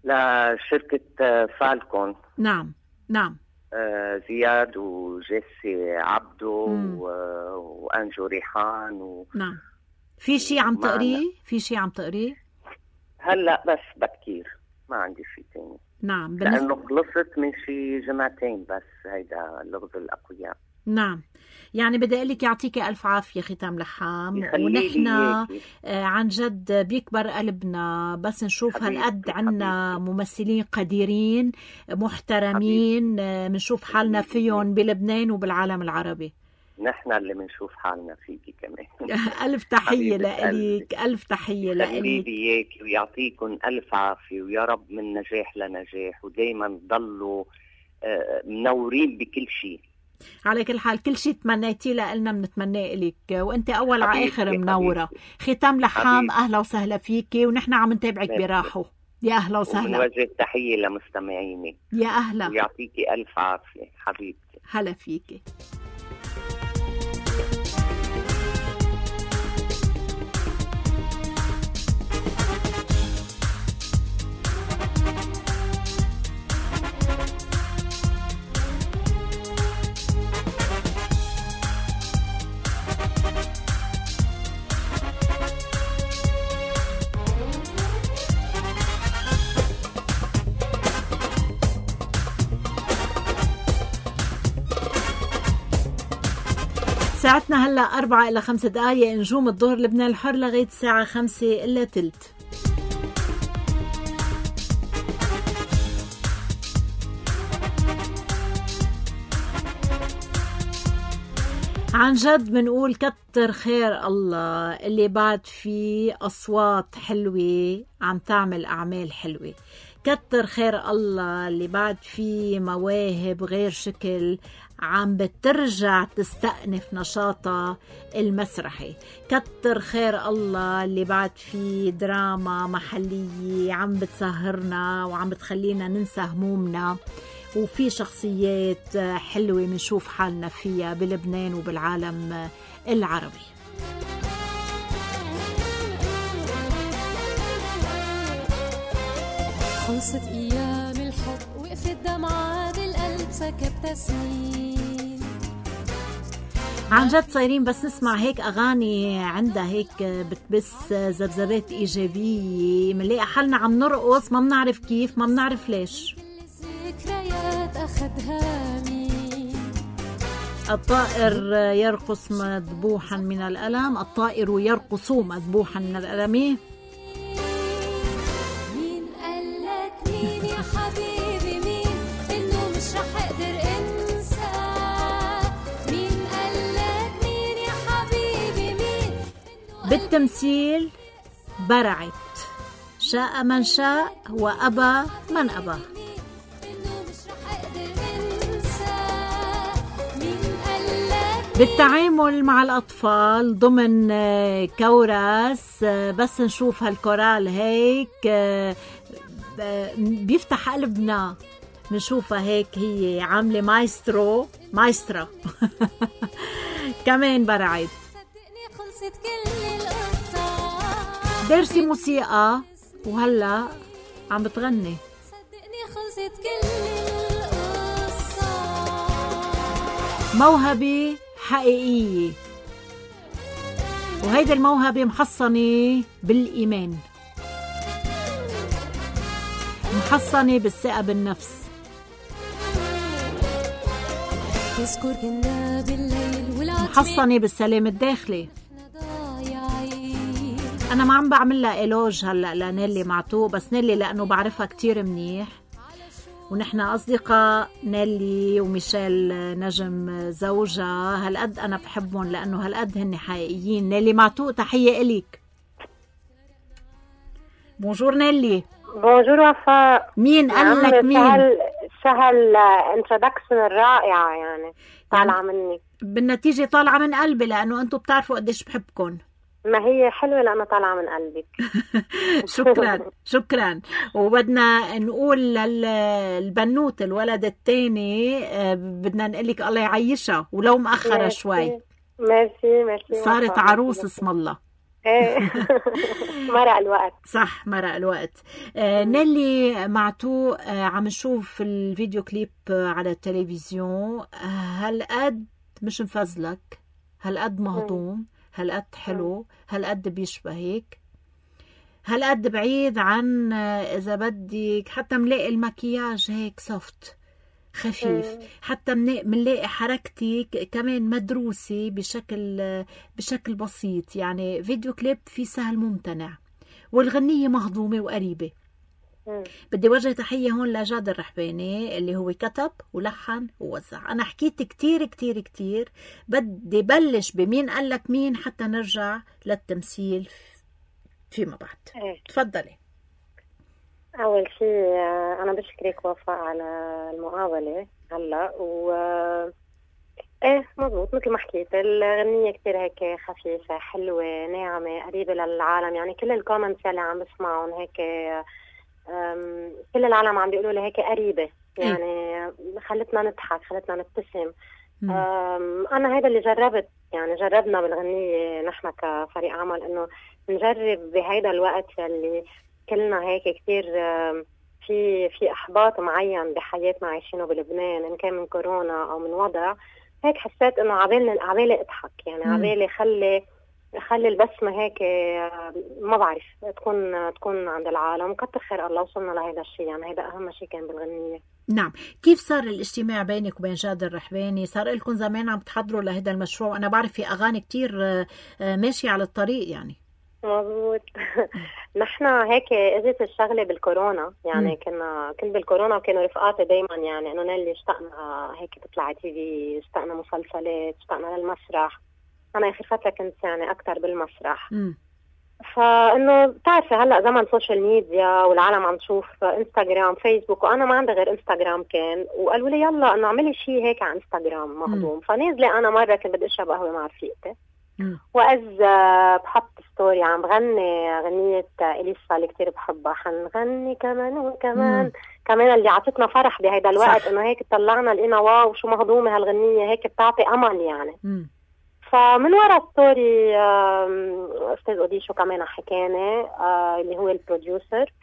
لشركة فالكون. نعم زياد وجيسي عبدو وأنجو ريحان نعم. في شيء عم تقريه؟ هلا بس بكير، ما عندي شيء تاني. نعم. لأنه خلصت من شي جمعتين بس هيدا لغز الأقوياء. نعم. يعني بدي أقول لك يعطيك ألف عافية ختام لحام، ونحن عن جد بيكبر قلبنا بس نشوف هالقد عنا ممثلين قديرين محترمين منشوف حالنا فيهم بلبنان وبالعالم العربي. نحن اللي منشوف حالنا فيكي كمان. ألف تحية لك، ألف تحية لك. خليلي ويعطيكم ألف عافية، ويا رب من نجاح لنجاح، ودايما ضلوا منورين بكل شيء. على كل حال كل شيء تمنيتيه لنا بنتمناه لك، وانت اول على اخر منوره. ختام لحام اهلا وسهلا فيكي، ونحن عم نتابعك براحه. يا اهلا وسهلا. ونوجه تحيه لمستمعيني. يا اهلا، ويعطيكي الف عافيه حبيبتي. هلا فيكي. ساعتنا هلأ 4 إلى 5 دقايق. نجوم الظهر لبنان الحر لغاية الساعة 5 إلا تلت. عن جد بنقول كتر خير الله اللي بعد فيه أصوات حلوة عم تعمل أعمال حلوة. كتر خير الله اللي بعد فيه مواهب غير شكل عم بترجع تستأنف نشاطها المسرحي. كتر خير الله اللي بعد فيه دراما محلية عم بتسهرنا وعم بتخلينا ننسى همومنا، وفي شخصيات حلوة منشوف حالنا فيها بلبنان وبالعالم العربي. خلصت أيام الحب وقفت دمعة بالقلب سكبت سنين. عن جد صايرين بس نسمع هيك أغاني عندها هيك بتبث ذبذبات إيجابية، منلاقي حالنا عم نرقص ما بنعرف كيف، ما بنعرف ليش. ذكريات أخدها مين؟ الطائر يرقص مذبوحا من الألم، الطائر يرقص مذبوحا من الألم. مين قالك مين يا حبيبي مين إنه مش رح أقدر أنسى؟ مين قالك مين يا حبيبي مين؟ بالتمثيل برعت، شاء من شاء وأبى من أبى. بالتعامل مع الأطفال ضمن كورس بس نشوف هالكورال هيك بيفتح قلبنا. نشوفها هيك هي عاملة مايسترا كمان برعت. درسي موسيقى وهلأ عم بتغني. موهبة حقيقية، وهيدا الموهبة محصنة بالإيمان، محصنة بالثقة بالنفس، محصنة بالسلام الداخلي. أنا ما عم بعمل لها إيلوج هلأ لنيلي معتوق، بس نيلي لأنه بعرفها كتير منيح ونحن أصدقاء نيلي وميشيل نجم زوجها، هالقد أنا بحبهم لأنه هالقد هن حقيقيين. نيلي معتوق تحية إليك. بونجور نيلي. بونجور وفاء. مين قال لك مين؟ سهل انترودكشن الرائعة يعني طالعة مني. بالنتيجة طالعة من قلبي لأنه أنتوا بتعرفوا قديش بحبكم. ما هي حلوة لأنه طالعة من قلبك. شكرا شكرا. وبدنا نقول للبنوت الولد الثاني بدنا نقلك الله يعيشها ولو مأخرة شوي. ميرسي صارت عروس اسم الله. مرق الوقت. صح مرق الوقت. نيلي معتوق عم نشوف الفيديو كليب على التلفزيون، هالقد مش مفزلك، هالقد مهضوم، هالقد حلو، هالقد بيشبهك، هالقد بعيد عن إذا بدك حتى ملاقي المكياج هيك سوفت خفيف، حتى منلاقي حركتك كمان مدروسة بشكل بسيط، يعني فيديو كليب في سهل ممتنع والغنية مهضومة وقريبة. بدي وجه تحية هون لجاد الرحباني اللي هو كتب ولحن ووزع. أنا حكيت كتير كتير كتير، بدي بلش بمين قالك مين حتى نرجع للتمثيل فيما بعد. تفضلي. أول شيء أنا بشكرك وفاء على المقابلة هلا مضبوط مثل ما حكيت، الغنية كتير هيك خفيفة حلوة ناعمة قريبة للعالم، يعني كل الكومنتس اللي عم بسمعهم هيك كل العالم عم بيقولوا لي هيك قريبة، يعني خلتنا نضحك خلتنا نبتسم. أنا هذا اللي جربنا بالغنية نحن كفريق عمل إنه نجرب بهيدا الوقت اللي كلنا هيك كتير في إحباط معين بحياتنا عايشينه بلبنان، إن كان من كورونا أو من وضع هيك، حسيت إنه عبالي أضحك، يعني عبالي خلي البسمة هيك ما بعرف تكون عند العالم. كتر خير الله وصلنا لهذا الشيء، يعني هذا أهم شيء كان بالغنية. نعم. كيف صار الاجتماع بينك وبين جاد الرحباني؟ صار لكم زمان عم تحضروا لهذا المشروع؟ أنا بعرف في أغاني كتير ماشية على الطريق يعني. مضبوط. نحن هيك اجت الشغله بالكورونا، يعني كنت بالكورونا وكانوا رفقاتي دايما يعني انه نيلي اشتقنا هيك تطلع تي في، اشتقنا مسلسلات، اشتقنا للمسرح. انا اخر فتره كنت يعني اكثر بالمسرح. فانه بتعرفي هلا زمن سوشيال ميديا والعالم عم تشوف انستغرام فيسبوك، وانا ما عندي غير انستغرام كان، وقالوا لي يلا انه اعملي شيء هيك على انستغرام مهضوم. فنازله انا مره كنت بدي اشرب قهوه مع رفيقتي، وإذ بحط ستوري عم بغني غنية إليسا اللي كتير بحبها، حنغني كمان وكمان كمان اللي عطتنا فرح بهيدا الوقت، إنه هيك طلعنا لقينا واو شو مهضومة هالغنية، هيك بتعطي أمل يعني. فمن وراء ستوري أستاذ أوديشو كمان حكاني اللي هو البروديوسر،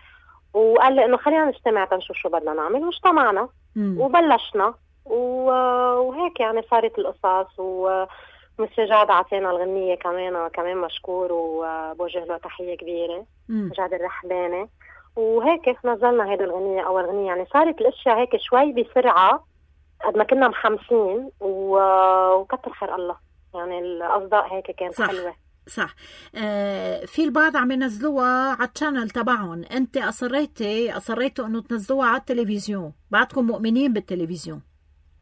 وقال لي إنه خلينا نجتمع تنشوف شو بدنا نعمل، واجتمعنا وبلشنا وهيك يعني صارت القصص. ومستر جاد عطينا الغنية كمان مشكور وبوجه له تحية كبيرة، جاد الرحباني. وهيك نزلنا هيدا الغنية أول غنية، يعني صارت الأشياء هيك شوي بسرعة قد ما كنا محمسين وكتر خير الله، يعني الأصداء هيك كانت صح. حلوة. صح. في البعض عم ينزلوها على الشانل تبعهم، انت اصريتوا انه تنزلوها على التلفزيون، بعدكم مؤمنين بالتلفزيون.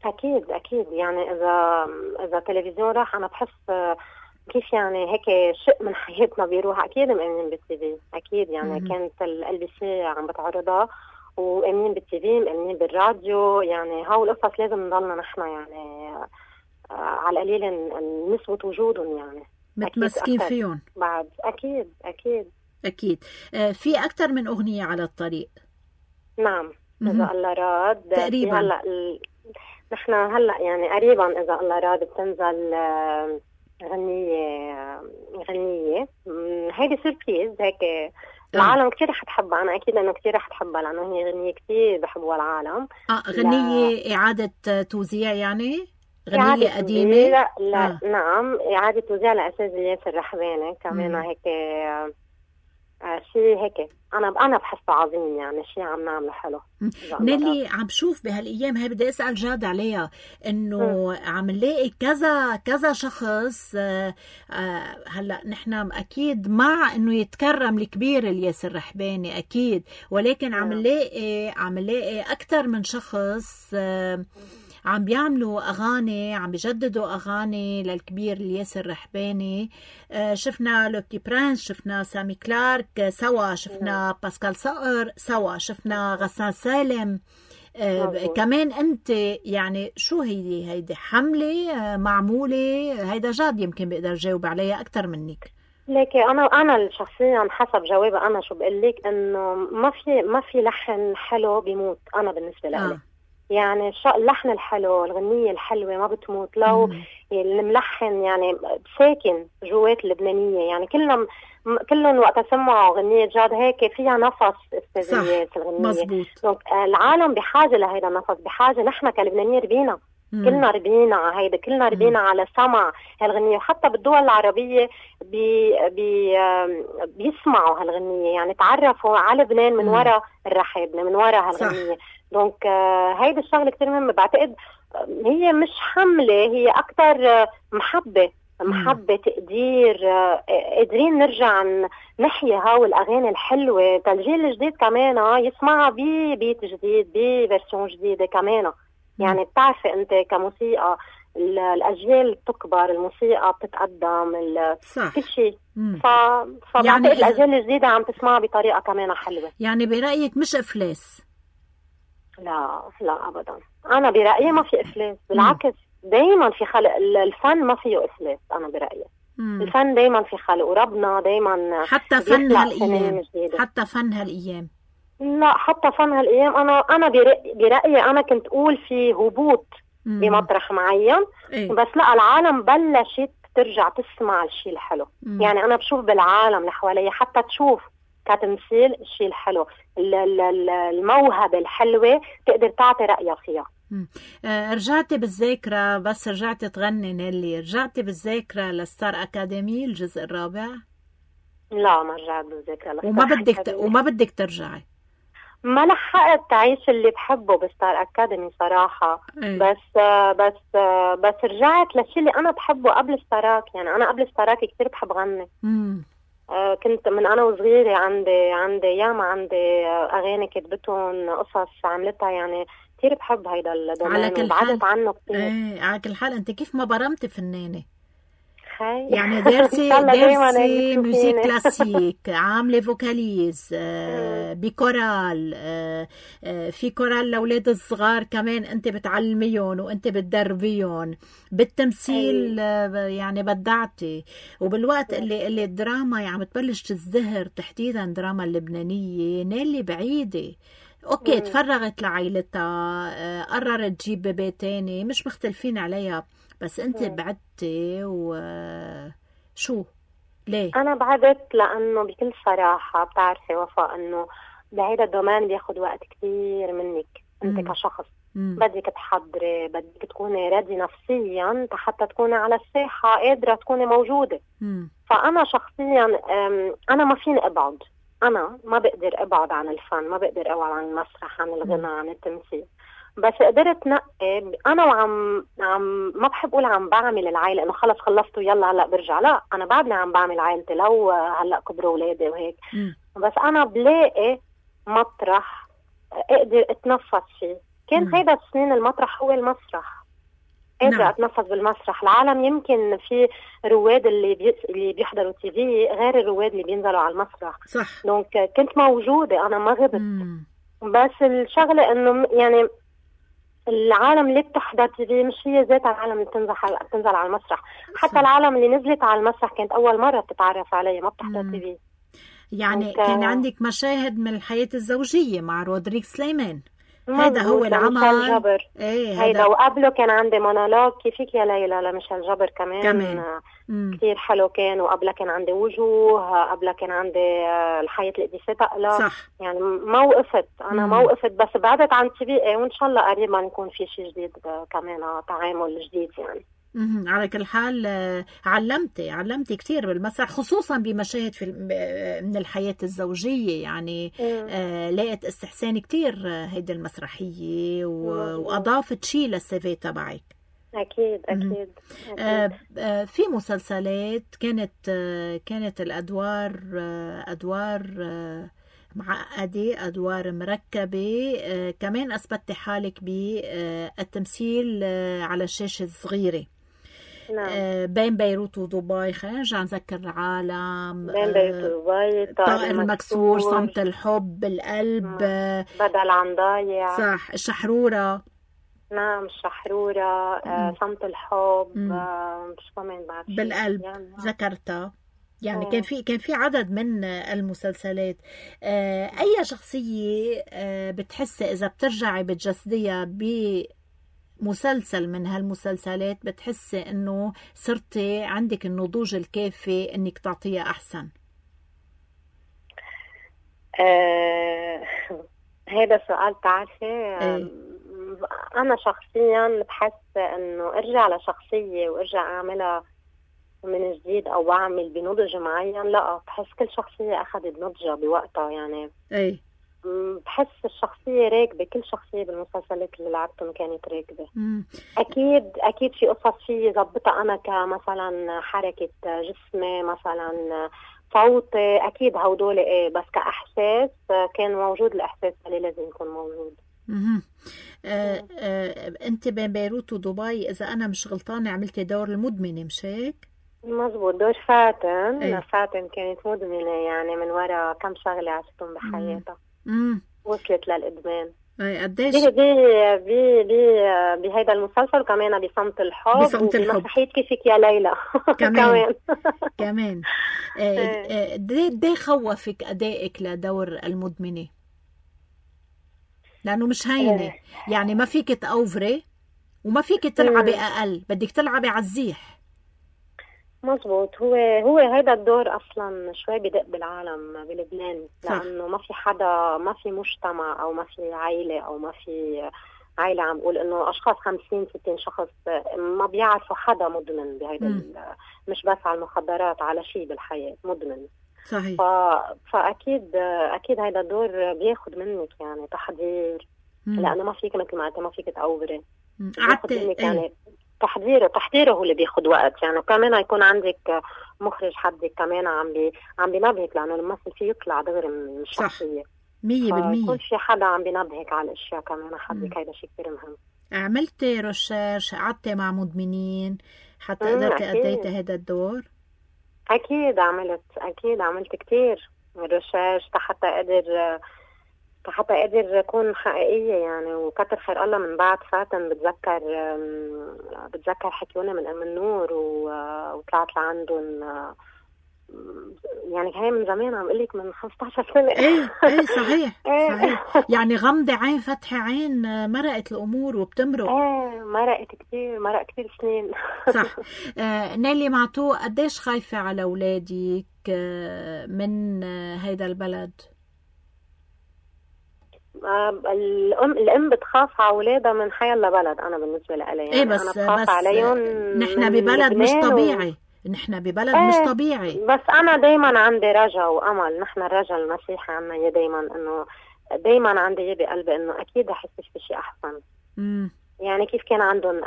اكيد يعني اذا التلفزيون راح انا بحس كيف يعني هيك شيء من حياتنا بيروح. اكيد مؤمنين بالتي في، اكيد يعني كانت الLBC عم بتعرضها، ومؤمنين بالتي في، مؤمنين بالراديو، يعني هاو القصص لازم نضلنا نحن يعني على القليل نثبت وجودهم، يعني متمسكين فيهم بعد. اكيد في اكثر من اغنيه على الطريق. نعم اذا الله راد تقريبا هلا نحن هلا يعني قريبا اذا الله راد بتنزل غنية هيدي سيربريز هيك. العالم كتير رح تحبها، أنا أكيد أنه كتير رح تحبها لأنه هي غنية كتير بحبها العالم. غنية إعادة توزيع يعني؟ غنية قديمة؟ لا نعم إعادة توزيع لأستاذ إلياس الرحباني كمان هيك شيء هيك انا بحسه عظيم، يعني شيء عم نعمله حلو. نيلي عم بشوف بهالايام هاي، بدي اسال جاد عليها، انه عم نلاقي كذا شخص. هلا نحن اكيد مع انه يتكرم الكبير الياس الرحباني اكيد، ولكن عم نلاقي اكثر من شخص عم بيعملوا أغاني، عم بيجددوا أغاني للكبير الياس الرحباني. شفنا لوكي برانس، شفنا سامي كلارك سوا، شفنا باسكال صقر سوا، شفنا غسان سالم. كمان أنت يعني شو هيدي حملة معمولة؟ هيدا جاد يمكن بقدر جاوب عليها أكتر منك. لكن انا شخصيا حسب جوابي انا شو بقول لك، انه ما في لحن حلو بيموت. انا بالنسبه لي يعني اللحن الحلو، الغنية الحلوة ما بتموت لو الملحن يعني ساكن جوات اللبنانية. يعني كلهم وقت سمعوا غنية جاد هيك فيها نفس استاذيات الغنية. العالم بحاجة لهيدا النفس، بحاجة نحن كلبنانية ربينا كلنا ربينا على هيدا، كلنا ربينا على سمع هالغنية. وحتى بالدول العربية بيسمعوا هالغنية، يعني تعرفوا على لبنان من وراء الرحابنة، من وراء هالغنية. دونك هيدا الشغلة كتير مهمة. بعتقد هي مش حملة، هي أكتر محبة تقدير. قادرين نرجع نحيي هاو الأغاني الحلوة، الجيل الجديد كمان يسمعها ببيت جديد، بفيرسيون جديدة كمان. يعني بتعرفي أنت كموسيقى الأجيال بتكبر، الموسيقى بتتقدم، كل شيء. فبعتقد يعني الأجيال الجديدة عم تسمعها بطريقة كمان حلوة. يعني برأيك مش إفلاس؟ لا أبدا، أنا برأيي ما في إفلاس، بالعكس دايما في خلق. الفن ما فيه إفلاس أنا برأيي. الفن دايما في خلق، وربنا دايما حتى فن هالأيام، حتى فن هالأيام. لا حتى فن هالأيام أنا برأيي أنا كنت أقول في هبوط بمطرح معين. بس لا، العالم بلشت ترجع تسمع الشيء الحلو. يعني أنا بشوف بالعالم اللي حوالي حتى تشوف كتمثيل الشيء الحلو، الموهبة الحلوة تقدر تعطي رأيها فيها. رجعتي بالذاكرة، بس رجعتي تغني نيلي، رجعتي بالذاكرة لستار أكاديمي الجزء الرابع؟ لا ما رجعت بالذاكرة وما بدك ترجعي؟ ما لحقت تعيش اللي بحبه بستار أكاديمي صراحة. بس رجعت للشيء اللي أنا بحبه قبل ستاراك. يعني أنا قبل ستاراك كتير بحب غني. كنت من أنا وصغيرة عندي ياما عندي أغاني كتبتهم، قصص عملتها، يعني كتير بحب هيدا الدومين وبعدت عنه كتير. على كل حال أنت كيف ما برمتي فنانة؟ يعني دارسي موسيقى كلاسيك، عاملة فوكاليز، بكورال، في كورال لأولاد الصغار كمان أنت بتعلميهم وأنت بتدربيهم، بالتمثيل يعني بدعتي. وبالوقت اللي الدراما يعني تبلش تزدهر، تحديدا دراما اللبنانية، نيلي بعيدة. اوكي تفرغت لعائلتها، قررت تجيب بيبي تاني، مش مختلفين عليها، بس انت بعدتي وشو ليه؟ انا بعدت لانه بكل صراحة بتعرفي وفاء انه بهيدا الدومين بياخد وقت كتير منك انت كشخص. بدك تحضري، بدك تكوني ريدي نفسيا حتى تكوني على الساحة قادرة تكوني موجودة. فانا شخصيا انا ما فيني ابعد، أنا ما بقدر أبعد عن الفن، ما بقدر أبعد عن المسرح، عن الغنى، عن التمثيل. بس قدرت نقي أنا وعم ما بحب أقول عم بعمل العائلة إنه خلص خلصت ويلا هلأ برجع. لا، أنا بعدني عم بعمل عائلتي لو هلأ كبروا أولادي وهيك. بس أنا بلاقي مطرح أقدر أتنفس فيه. كان هيدا السنين المطرح هو المسرح. قادرة أتنفس بالمسرح. العالم يمكن في رواد اللي بيحضروا تي في غير الرواد اللي بينزلوا على المسرح. صح. دونك كنت موجودة، أنا ما غبت. بس الشغلة إنه يعني العالم اللي بتحضر تي في مش هي ذات العالم اللي بتنزل على المسرح. حتى صح. العالم اللي نزلت على المسرح كانت أول مرة بتتعرف علي، ما بتحضر تي في. يعني كان عندك مشاهد من الحياة الزوجية مع رودريك سليمان، هذا هو العمل. جبر. هيدا وقبله كان عندي مونولوج كيفك يا ليلى لميشيل جبر كمان. كتير حلو كان. وقبله كان عندي وجوه، قبله كان عندي الحياة القديسة تقلى. صح. يعني ما وقفت أنا ما وقفت، بس بعدت عن تي في. وإن شاء الله قريبا يكون في شيء جديد كمان، تعامل جديد يعني. على كل حال علمتي كتير بالمسرح، خصوصا بمشاهد من الحياة الزوجية، يعني لقيت استحسان كتير هيدي المسرحية وأضافت شيء للسيفي تبعك. أكيد. في مسلسلات كانت الأدوار معقدة، أدوار مركبة، كمان أثبتي حالك بالتمثيل على الشاشة الصغيرة. نعم. بين بيروت ودبي، خلينا نرجع نذكر العالم، بين بيروت ودبي، طائر مكسور، صمت الحب، القلب، بدل عن ضايع، صح، الشحرورة. نعم، الشحرورة، صمت الحب، مش كمان بعد بالقلب يعني ذكرتها. يعني كان في عدد من المسلسلات. أي شخصية بتحسي إذا بترجعي بتجسديها بمسلسل من هالمسلسلات بتحسي إنه صرتي عندك النضوج الكافي إنك تعطيها أحسن؟ هذا سؤال تعرفي. أنا شخصيا بحس إنه أرجع لشخصية وأرجع أعملها من جديد أو أعمل بنضج معين، لا، بحس كل شخصية أخذت نضجة بوقتها. يعني بحس الشخصية راكبة، كل شخصية بالمسلسلات اللي لعبتهم كانت راكبة. أكيد في قصص فيه زبطها أنا، كمثلا حركة جسمي، مثلا صوتي، أكيد هودول بس كإحساس كان موجود، الإحساس اللي لازم يكون موجود. أنت بين بيروت ودبي إذا أنا مش غلطانة عملتي دور المدمنة، مش هيك؟ مزبوط، دور فاتن. فاتن كانت مدمنة، يعني من وراء كم شغلة عشتهم بحياتها وصلت للإدمان. قديش بهيدا المسلسل، وكمان بصمت الحب، وبمسرحية كيفك يا ليلى كمان. دي خوفك أدائك لدور المدمنة؟ لأنه مش هينة، يعني ما فيك تأوفري وما فيك تلعبي أقل، بدك تلعبي عالزيح. مزبوط. هو هذا الدور اصلا شوي بدق بالعالم بلبنان، لانه ما في حدا، ما في مجتمع، او ما في عائله، او ما في عائله عم بقول انه اشخاص 50-60 شخص ما بيعرفوا حدا مدمن بهيدا مش بس على المخدرات، على شيء بالحياه مدمن. صحيح. فاكيد هذا الدور بياخد منك يعني تحضير، لانه ما فيك مثل ما قلت ما فيك تأوبري. يعني تحضيره هو اللي بياخد وقت يعني. وكمان يكون عندك مخرج حدك كمان عم بينبهك، لانه الممثل فيه يطلع دغري من الشخصيه 100%. يكون في حدا عم بينبهك على الاشياء كمان حدك، هيدا شيء كثير مهم. عملتي ريسيرش، قعدتي مع مدمنين حتى قدرتي أديتي هذا الدور؟ اكيد عملت كثير ريسيرش حتى أقدر أكون حقيقية يعني. وكتر خير الله من بعد فاتن بتذكر حكيونا من أم النور وطلعت لعندهم، يعني هاي من زمان، عم قلك من 15 سنة. ايه صحيح. يعني غمضة عين فتح عين، مرقت الأمور وبتمرق. مرق كتير سنين. صح. نيلي معتوق، قديش خايفة على أولادك من هيدا البلد؟ الأم بتخاف على أولادها من حي الله بلد. أنا بالنسبة لي يعني بس أنا بخاف عليهم. نحن ببلد مش طبيعي. نحن ببلد مش طبيعي. بس أنا دايما عندي رجا وأمل. نحن الرجا المسيحي عنا يا دايما، إنه دايما عندي بقلبي إنه أكيد رح يصير في شيء أحسن. يعني كيف كان عندهم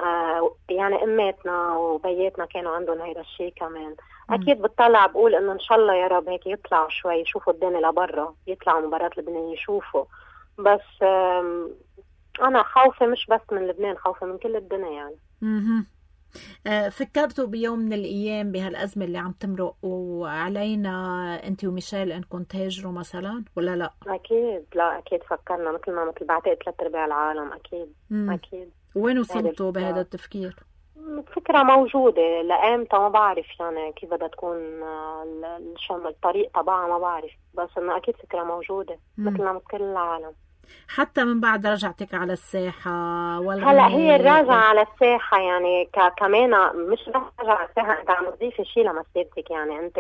يعني أماتنا وبياتنا كانوا عندهم هيدا الشيء كمان. أكيد بتطلع بقول إنه إن شاء الله يا رب هيك يطلعوا شوي، يشوفوا الدنيا لبرا، يطلعوا مباراة لبنان يشوفوا. بس أنا خوفة مش بس من لبنان، خوفة من كل الدنيا يعني. فكرتوا بيوم من الأيام بهالأزمة اللي عم تمرق وعلينا أنت وميشيل أنكم تهاجروا مثلا ولا لا؟ أكيد فكرنا، مثل بعتقد 3/4 العالم. أكيد. وين وصلتوا بهذا التفكير؟ فكرة موجودة، لأمتى ما بعرف يعني كيف بدها تكون الطريق تبعها ما بعرف، بس إنه أكيد فكرة موجودة مثلنا مثل كل العالم. حتى من بعد رجعتك على الساحة هلا هي الرجعة على الساحة يعني كمان مش بس رجعة على الساحة، أنت عم تضيف شيء لمسيرتك يعني.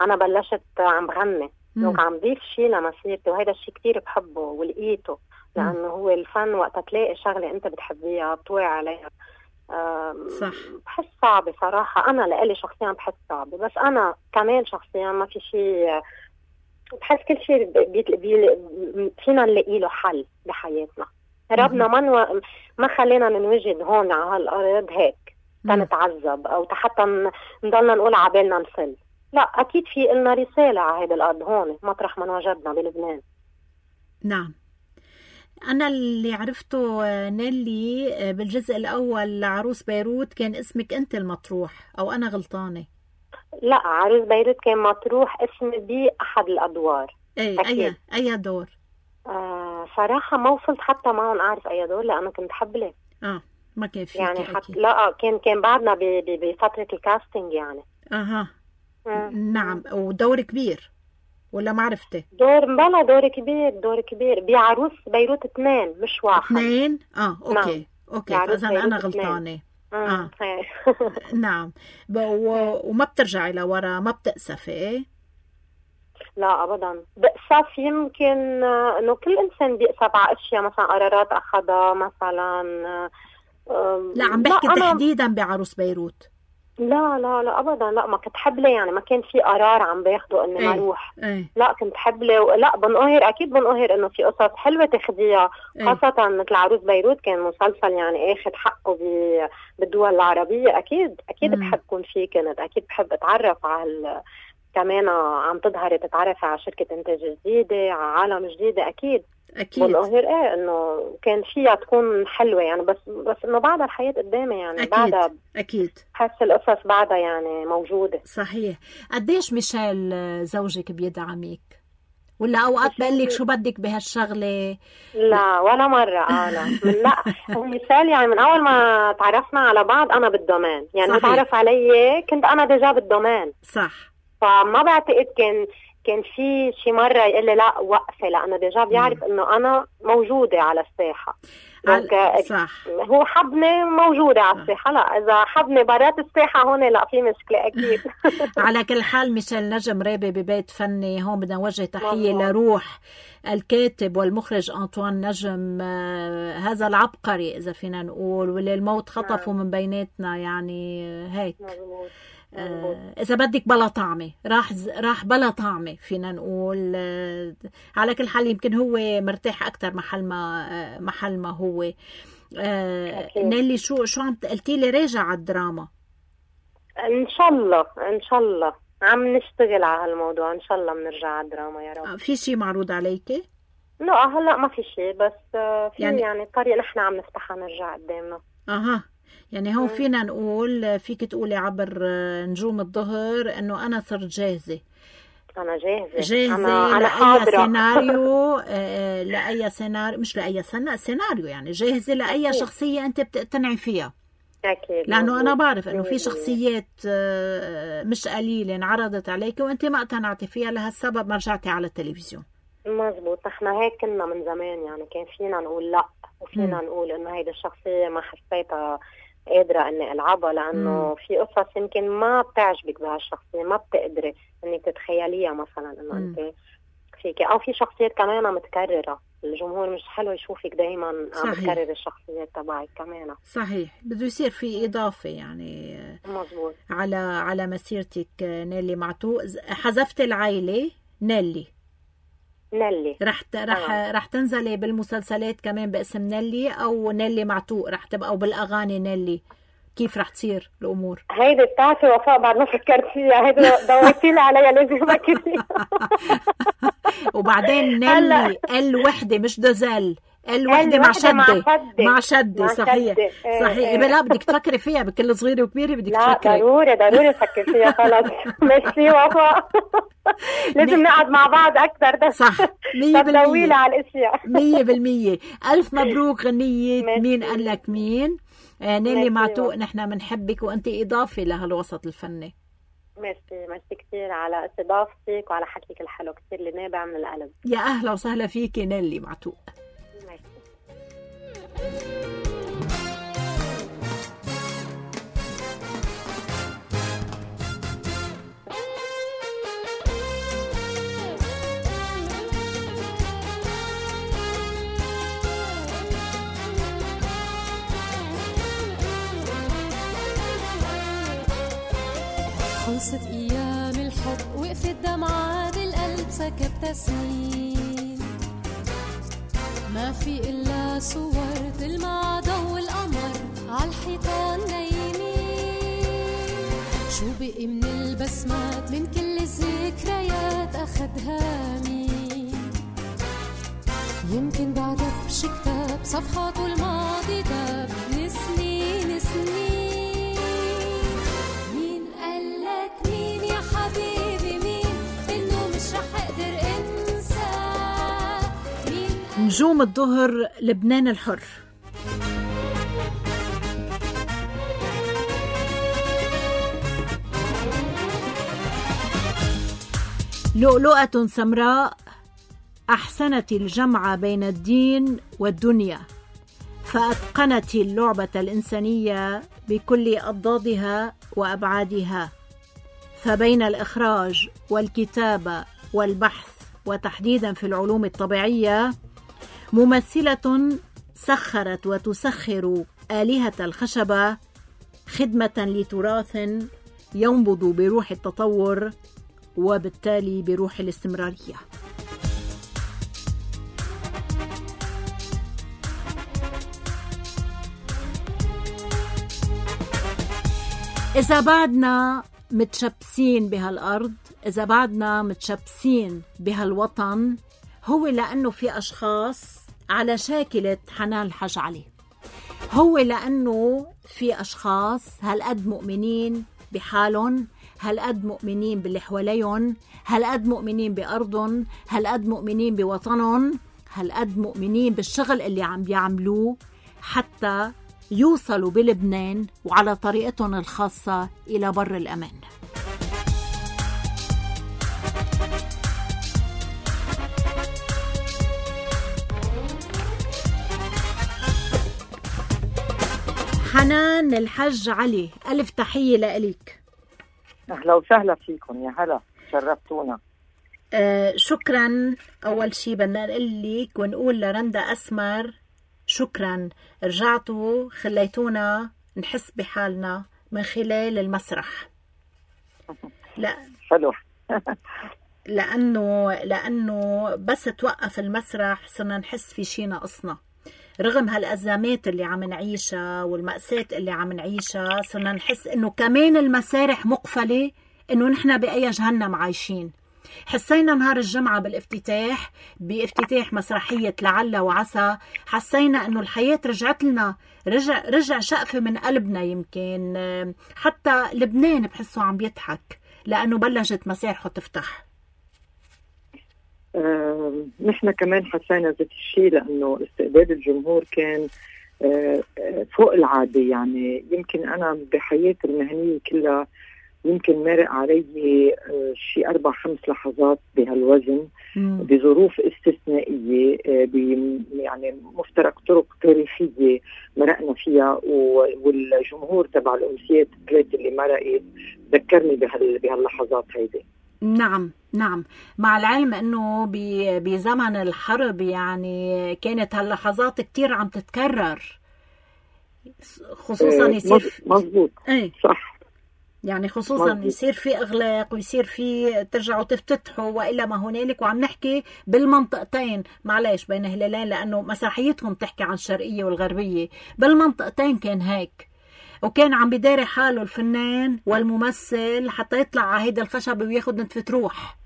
أنا بلشت عم بغني، عم ضيف شيء لمسيرتي، وهذا الشيء كتير بحبه ولقيته، لأنه هو الفن وقت تلاقي شغلة أنت بتحبيها بتوعي عليها صح. بحس صعبة صراحة. أنا لإلي شخصيا بحس صعبة، بس أنا كمان شخصيا ما في شيء، بحس كل شيء فينا نلاقي له حل بحياتنا. ربنا ما خلينا ننوجد هون على هالأرض هيك تنتعذب أو حتى نضلنا نقول عبالنا نفل. لا، أكيد في إلنا رسالة على هذا الأرض هون مطرح ما نوجدنا بلبنان. نعم. أنا اللي عرفته نيلي بالجزء الأول لعروس بيروت كان اسمك أنت المطروح، أو أنا غلطانة؟ لا، عروس بيروت كان مطروح اسمي بأحد الأدوار. أي دور؟ صراحة ما وصلت حتى معهم أعرف أي دور، لأنه كنت حبلة. ما كان فيك يعني لا، كان بعدنا بفترة الكاستنج يعني. نعم. ودور كبير ولا ما عرفته؟ دور كبير بعروس بيروت 2 مش 1. 2 اوكي. فاذا انا غلطانه. نعم. وما بترجعي لورا، ما بتأسفي؟ لا ابدا. بأسف يمكن انه كل انسان بيأسف على اشياء، مثلا قرارات اخذها مثلا. لا، عم بحكي تحديدا بعروس بيروت. لا ابدا. لا، ما كنت حبلة يعني، ما كان في قرار عم باخده اني ما اروح. لا، كنت حبلة. لا، اكيد بنقهر انه في قصص حلوة تاخديها، خاصة مثل عروس بيروت كان مسلسل يعني اخذ حقه بالدول العربية. اكيد بحب كون فيه، كنت اكيد بحب اتعرف على كمان عم تتعرف على شركة انتاج جديدة، على عالم جديدة. اكيد بنقهر انه كان فيها تكون حلوة يعني، بس انه بعدها الحياة قدامي يعني. بعدها اكيد حس القصص بعدها يعني موجودة. صحيح. قديش ميشيل زوجك بيدعمك؟ ولا اوقات بقول لك شو بدك بهالشغله؟ لا ولا مره. لا، ميشيل يعني من اول ما تعرفنا على بعض انا بالدومين يعني. تعرف علي كنت انا ديجا بالدومين. صح. فما بعتقد كان في شي مرة يقول لي لا وقفي، لأنه ديجا بيعرف إنه أنا موجودة على الساحة. صح. هو حبني موجودة على الساحة. لا، إذا حبني برات الساحة هون لا في مشكلة أكيد. على كل حال ميشيل نجم رابي ببيت فني. هون بدنا نوجه تحية لروح الكاتب والمخرج أنطوان نجم، هذا العبقري إذا فينا نقول، واللي الموت خطفه من بيناتنا يعني. هيك إذا بدك بلا طعمة، راح بلا طعمة فينا نقول. على كل حال يمكن هو مرتاح أكتر محل ما هو. نيلي شو عم قلتي لي راجع على الدراما؟ إن شاء الله عم نشتغل على هالموضوع. إن شاء الله بنرجع على الدراما يا رب. في شيء معروض عليكي؟ لا هلا ما في شيء، بس في يعني الطريق نحن عم نفتحها نرجع قدامنا. يعني هون فينا نقول، فيك تقولي عبر نجوم الظهر انه انا صرت جاهزة. انا جاهزة لأي سيناريو. لأي سيناريو، مش لأي سيناريو يعني، جاهزة لأي شخصية انت بتقتنعي فيها. أكيد. لأنه أنا بعرف إنه في شخصيات مش قليلة انعرضت عليك وأنت ما اقتنعتي فيها، لهالسبب ما رجعتي على التلفزيون. مزبوط. احنا هيك كنا من زمان يعني، كان فينا نقول لا، وفينا نقول إنه هيدا الشخصية ما حسيتها قادرة إني ألعبها، لأنه في قصص يمكن ما بتعجبك بهالشخصية، ما بتقدري إنك تتخيليها مثلا إنه أنت فيك، أو في شخصيات كمان متكررة. الجمهور مش حلو يشوفك دايما عم تكرر الشخصيات تبعك كمان. صحيح. بده يصير في إضافة يعني. مزبوط. على مسيرتك نيلي معتوق. حذفت العائلة نيلي. رح تنزلي بالمسلسلات كمان باسم نيلي، او نيلي معتوق رح تبقى، او بالاغاني نيلي؟ كيف رح تصير الامور؟ هيدي بتاعتي وفاء، بعد ما فكرت فيها. هيدي دورتي لي عليها، لازم افكر فيها. وبعدين نيلي الوحده مش دزل، الوحده مع شده. صحيح. لا بدك تفكري فيها بكل صغيره وكبيره، بدك تفكري. ضروري افكر فيها. خلص ميرسي وفاء. لازم نقعد مع بعض اكثر. ده صح 100% طويله على الاشياء. 100%. الف مبروك غنيه مين قال لك مين. نيلي معتوق، نحن بنحبك وانت اضافه لهالوسط الفني. ميرسي كثير على استضافتك وعلى حكيك الحلو، كثير اللي نابع من القلب. يا اهلا وسهلا فيكي نيلي معتوق. خلصت أيام الحب وقفت دمعة بالقلب سكبت سنين ما في إلا صور تلمع ضوء القمر عالحيطان نايمين شو بقي من البسمات من كل الذكريات أخدها مين يمكن بعدك بشي كتاب صفحاته الماضي داب لسنين سنين مين قالك مين يا حبيبي مين إنه مش رح أقدر أنسى مين نجوم الظهر لبنان الحر. لؤلؤة سمراء أحسنت الجمع بين الدين والدنيا فأتقنت اللعبة الإنسانية بكل أضدادها وأبعادها فبين الإخراج والكتابة والبحث وتحديدا في العلوم الطبيعية ممثلة سخرت وتسخر آلهة الخشبة خدمة لتراث ينبض بروح التطور وبالتالي بروح الاستمرارية. إذا بعدنا متشبسين بهالأرض، إذا بعدنا متشبسين بهالوطن، هو لأنه في أشخاص على شاكلة حنان الحاج علي، هو لأنه في أشخاص هالقد مؤمنين بحالهم، هالقد مؤمنين باللي حواليهم، هالقد مؤمنين بأرضهم، هالقد مؤمنين بوطنهم، هالقد مؤمنين بالشغل اللي عم بيعملوه حتى يوصلوا بلبنان وعلى طريقتهم الخاصة إلى بر الأمان. حنان الحاج علي، ألف تحية لإليك. أهلا وسهلا فيكم، يا هلا شرفتونا. شكرا. أول شي بدنا نقول لك ونقول لرندا أسمر شكرا، رجعتوا خليتونا نحس بحالنا من خلال المسرح. لا حلو. لأنه بس توقف المسرح صرنا نحس في شي ناقصنا، رغم هالأزمات اللي عم نعيشها والمأساة اللي عم نعيشها صرنا نحس إنه كمان المسارح مقفلة، إنه نحن بأي جهنم عايشين. حسينا نهار الجمعة بافتتاح مسرحية لعل وعسى، حسينا إنه الحياة رجعت لنا، رجع شقفة من قلبنا. يمكن حتى لبنان بحسه عم بيضحك لأنه بلشت مسارحه تفتح. نحن كمان حسينا ذات الشيء، لأنه استقبال الجمهور كان فوق العادة. يعني يمكن أنا بحياتي المهنية كلها يمكن مرق علي شيء 4-5 لحظات بهالوزن بظروف استثنائية، يعني مفترق طرق تاريخية مرقنا فيها، والجمهور تبع الأمسيات الثلاثة اللي مرقت ذكرني بهاللحظات هيدي. نعم، مع العلم انه بزمن الحرب يعني كانت هاللحظات كتير عم تتكرر، خصوصا يصير مزبوط. صح، يعني خصوصا مزبوط. يصير في اغلاق ويصير في ترجعوا تفتتحوا والا ما هنالك، وعم نحكي بالمنطقتين، معلش بين هلالين لانه مسرحيتهم تحكي عن الشرقية والغربية، بالمنطقتين كان هيك، وكان عم بداري حاله الفنان والممثل حتى يطلع على هيدا الخشب وياخد نتفة روح.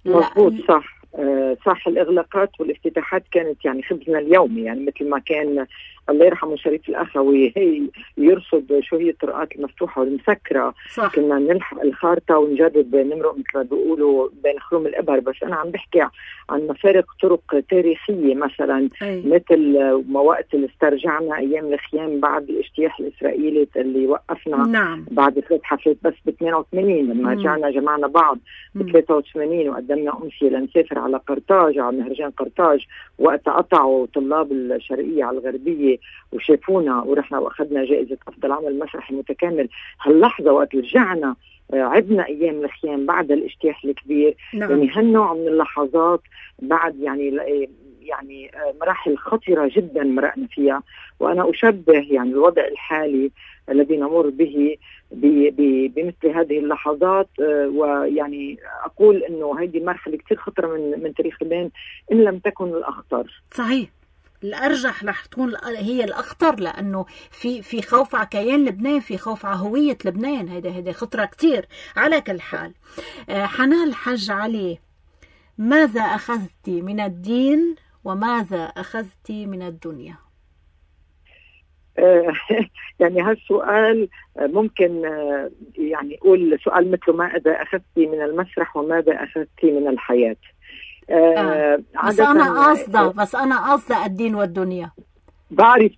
مظبوط، صح. الإغلاقات والافتتاحات كانت يعني خبزنا اليومي، يعني مثل ما كان الله يرحمه شريف الأخوي هي يرصد شو هي الطرقات المفتوحة والمسكرة. صح. كنا نلحق الخارطة ونجرب نمرق مثل ما بيقولوا بين خروم الإبر. بس أنا عم بحكي عن مفارق طرق تاريخية مثلا مثل ما وقت اللي استرجعنا أيام الخيام بعد الاجتياح الإسرائيلي اللي وقفنا بعد 3 حفلات بس ب 88 لما رجعنا جمعنا بعض ب 83 وقدمنا أمسية لنسافر على قرطاج، على مهرجان قرطاج، وقت قطعوا طلاب الشرقية على الغربية وشافونا ورحنا واخذنا جائزة أفضل عمل مسرحي متكامل. هاللحظة وقت رجعنا عدنا أيام الخيام بعد الاجتياح الكبير. يعني هالنوع من اللحظات بعد يعني يعني مراحل خطرة جدا مرقنا فيها، وأنا أشبه يعني الوضع الحالي الذي نمر به بمثل هذه اللحظات، ويعني أقول أنه هذه مرحلة كتير خطرة من تاريخ لبنان إن لم تكن الأخطر. صحيح، الأرجح رح تكون هي الأخطر، لأنه في خوف على كيان لبنان، في خوف على هوية لبنان. هيدا خطرة كتير. على كل حال، حنان الحج علي، ماذا أخذت من الدين وماذا أخذت من الدنيا؟ يعني هالسؤال ممكن يعني أقول سؤال مثل ماذا أخذت من المسرح وماذا أخذت من الحياة. بس أنا قصدة الدين والدنيا. بعرف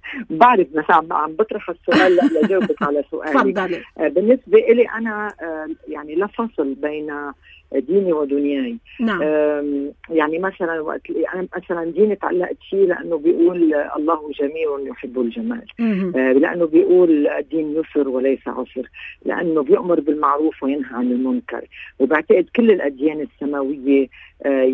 بس عم بطرح السؤال لجاوبك على سؤالي. تفضلي. بالنسبة إلي أنا يعني لا فصل بين ديني ودنياي. نعم. يعني مثلا وقت أنا مثلا ديني تعلقت فيه لأنه بيقول الله جميل يحب الجمال، لأنه بيقول الدين يسر وليس عسر، لأنه بيأمر بالمعروف وينهى عن المنكر، وبعتقد كل الأديان السماوية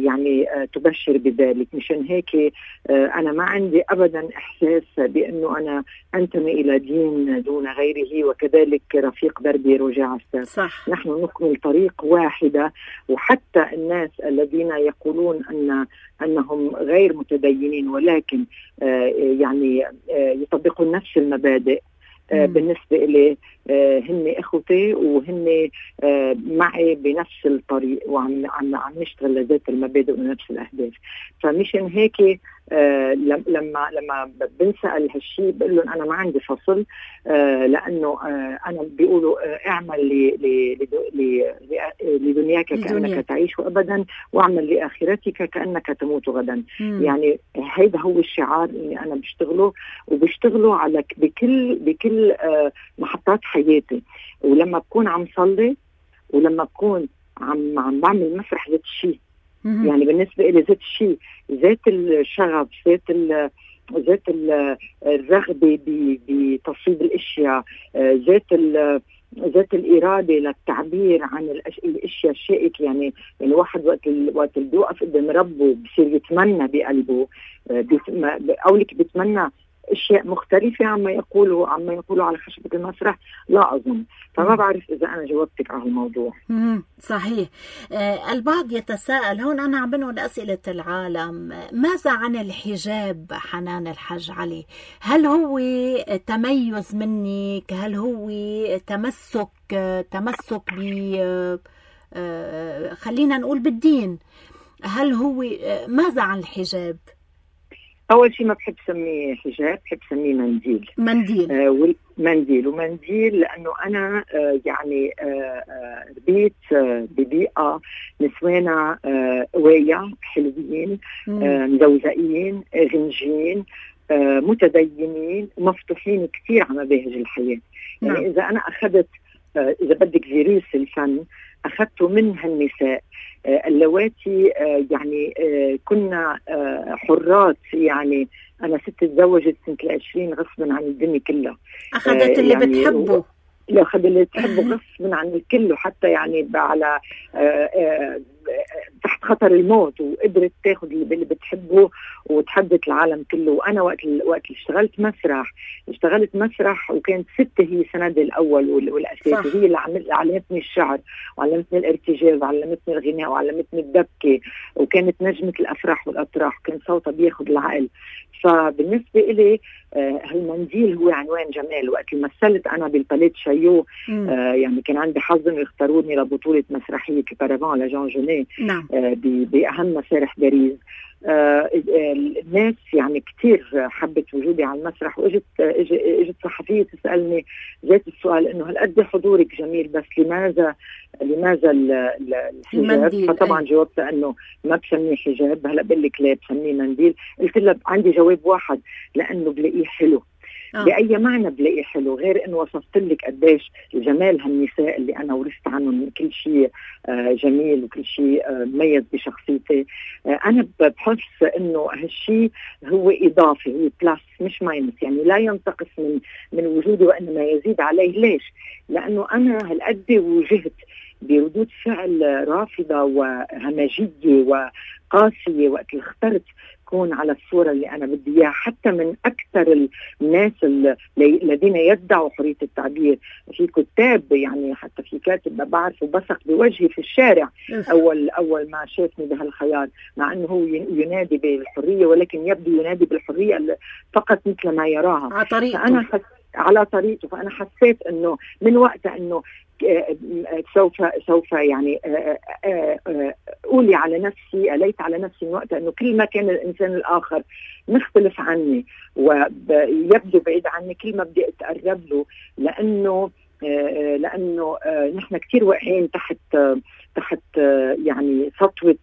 يعني تبشر بذلك. مشان هيك أنا ما عندي أبدا إحساس بأنه أنا أنتمي إلى دين دون غيره، وكذلك رفيق دربي رجع عساس. صح. نحن نكمل طريق واحدة، وحتى الناس الذين يقولون أنهم غير متدينين ولكن يعني يطبقون نفس المبادئ، بالنسبة إلي هن إخوتي وهن معي بنفس الطريق، وعم نشتغل لذات المبادئ ونفس الأهداف. فمشان هيك لما بنسأل هالشي بقول لهم أنا ما عندي فصل، لأنه أنا بيقولوا اعمل لدنياك كأنك تعيش أبدا، واعمل لآخرتك كأنك تموت غدا. يعني هيدا هو الشعار اللي أنا بشتغله على بكل محطات حياتي. ولما بكون عم صلي ولما بكون عم بعمل مسرح ذات الشيء، يعني بالنسبة إلي ذات الشيء، ذات الشغف، ذات الرغبة بتصويب الأشياء، ذات الإرادة للتعبير عن الأشياء الشائكة. يعني واحد وقت اللي بيوقف قدام ربه بصير يتمنى بقلبه، أو لك بيتمنى أشياء مختلفة عما يقولوا على خشبة المسرح. لا أظن. فما بعرف إذا أنا جاوبتك على الموضوع. صحيح. البعض يتساءل هون، أنا عم بنقل أسئلة العالم، ماذا عن الحجاب حنان الحج علي؟ هل هو تميز منك؟ هل هو تمسك خلينا نقول بالدين؟ هل هو ماذا عن الحجاب؟ أول شيء ما بحب سميه حجاب، بحب سميه منديل. ومنديل لأنه أنا يعني ربيت ببيئة نسوانا قوية حلوين، مزوزقين، غنجين، متدينين، مفتوحين كثير على مباهج الحياة. يعني إذا أنا أخذت إذا بدك فيروس الفن أخذته من هالنساء اللواتي يعني كنا حرات. يعني أنا ست تزوجت سنة 20 غصبا عن الدنيا كلها، أخذت اللي يعني بتحبه، أخذ اللي تحبه غصبا عن الكل، وحتى يعني على تحت خطر الموت، وقدرت تاخذ اللي بتحبه وتحدث العالم كله. وأنا وقت اللي اشتغلت مسرح وكانت ستة هي سندي الأول والأساسي. هي اللي علمتني الشعر وعلمتني الارتجال وعلمتني الغناء وعلمتني الدبكة، وكانت نجمة الأفراح والأطراح، وكان صوتها بياخد العقل. فبالنسبة إلي هالمنديل هو عنوان جمال. وقت مثلت أنا بالباليت شايو يعني كان عندي حظ إنه يختاروني لبطولة مسرحية كبارافان لجان جونيه بأهم مسارح باريس. الناس يعني كتير حبت وجودي على المسرح، واجت صحفية تسألني ذات السؤال إنه هل قد حضورك جميل، بس لماذا الحجاب؟ فطبعا جاوبت إنه ما بسميه حجاب. هلا بقول لك ليه بسميه منديل. قلت لها عندي جواب واحد، لأنه بلاقيه حلو. بأي معنى بلاقي حلو غير إنه وصفت لك قديش جمال هالنساء اللي أنا ورثت عنهم كل شيء جميل وكل شيء مميز بشخصيتي. أنا بحس إنه هالشيء هو إضافي، هو بلاس مش ماينس. يعني لا ينتقص من وجودي وإنما يزيد عليه. ليش؟ لأنه أنا هالقد وجهت بردود فعل رافضة وهمجية وقاسية وقت اللي اخترت كون على الصورة اللي أنا بدي إياها، حتى من أكثر الناس الذين يدعوا حرية التعبير. في كتاب يعني حتى في كاتب بعرفه بصق بوجهي في الشارع أول ما شافني بهالخيار، مع أنه هو ينادي بالحرية ولكن يبدو ينادي بالحرية فقط مثل ما يراها على طريقته. فأنا على طريقته. فأنا حسيت أنه من وقتها أنه سوف يعني أولي على نفسي، أليت على نفسي من وقتها أنه كل ما كان الإنسان الآخر مختلف عني ويبدو بعيد عني كل ما بدي أتقرب له، لأنه نحن كتير واقعين تحت يعني سطوة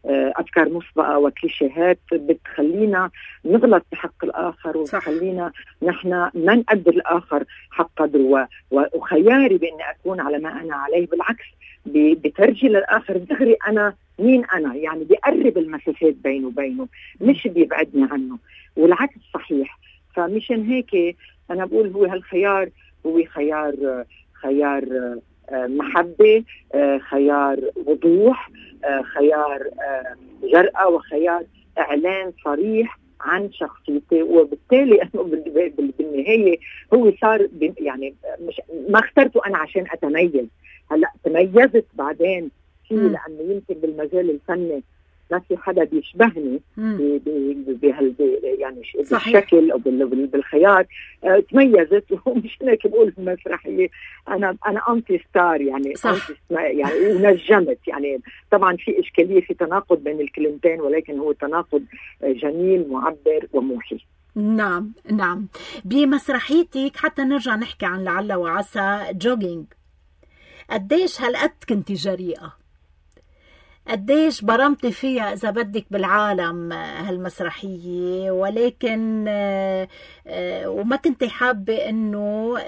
أفكار مسبقة وكليشيهات بتخلينا نغلط بحق الآخر وتخلينا نحن ما نقدر الآخر حق قدره. وخياري بأني أكون على ما أنا عليه بالعكس بترجي للآخر دغري أنا مين أنا، يعني بيقرب المسافات بينه وبينه مش بيبعدني عنه، والعكس صحيح. فمشان هيك أنا بقول هو هالخيار هو خيار محبة، خيار وضوح، خيار جرأة، وخيار إعلان صريح عن شخصيتي. وبالتالي أنه بالنهاية هو صار يعني مش ما اخترته أنا عشان أتميز. هلأ تميزت بعدين فيه لأنه يمكن بالمجال الفني ما في حدا بيشبهني يعني بالشكل أو بالخيار. تميزت ومش هيك بقول في المسرحية أنا أنتي ستار يعني يعني ونجمت. يعني طبعا في إشكالية في تناقض بين الكلمتين، ولكن هو تناقض جميل معبر وموحي. نعم نعم. بمسرحيتك حتى نرجع نحكي عن لعل وعسى جوجينج، قديش هالقد كنتي جريئة، قديش برمتي فيها إذا بدك بالعالم هالمسرحية، ولكن وما كنتي حابة إنه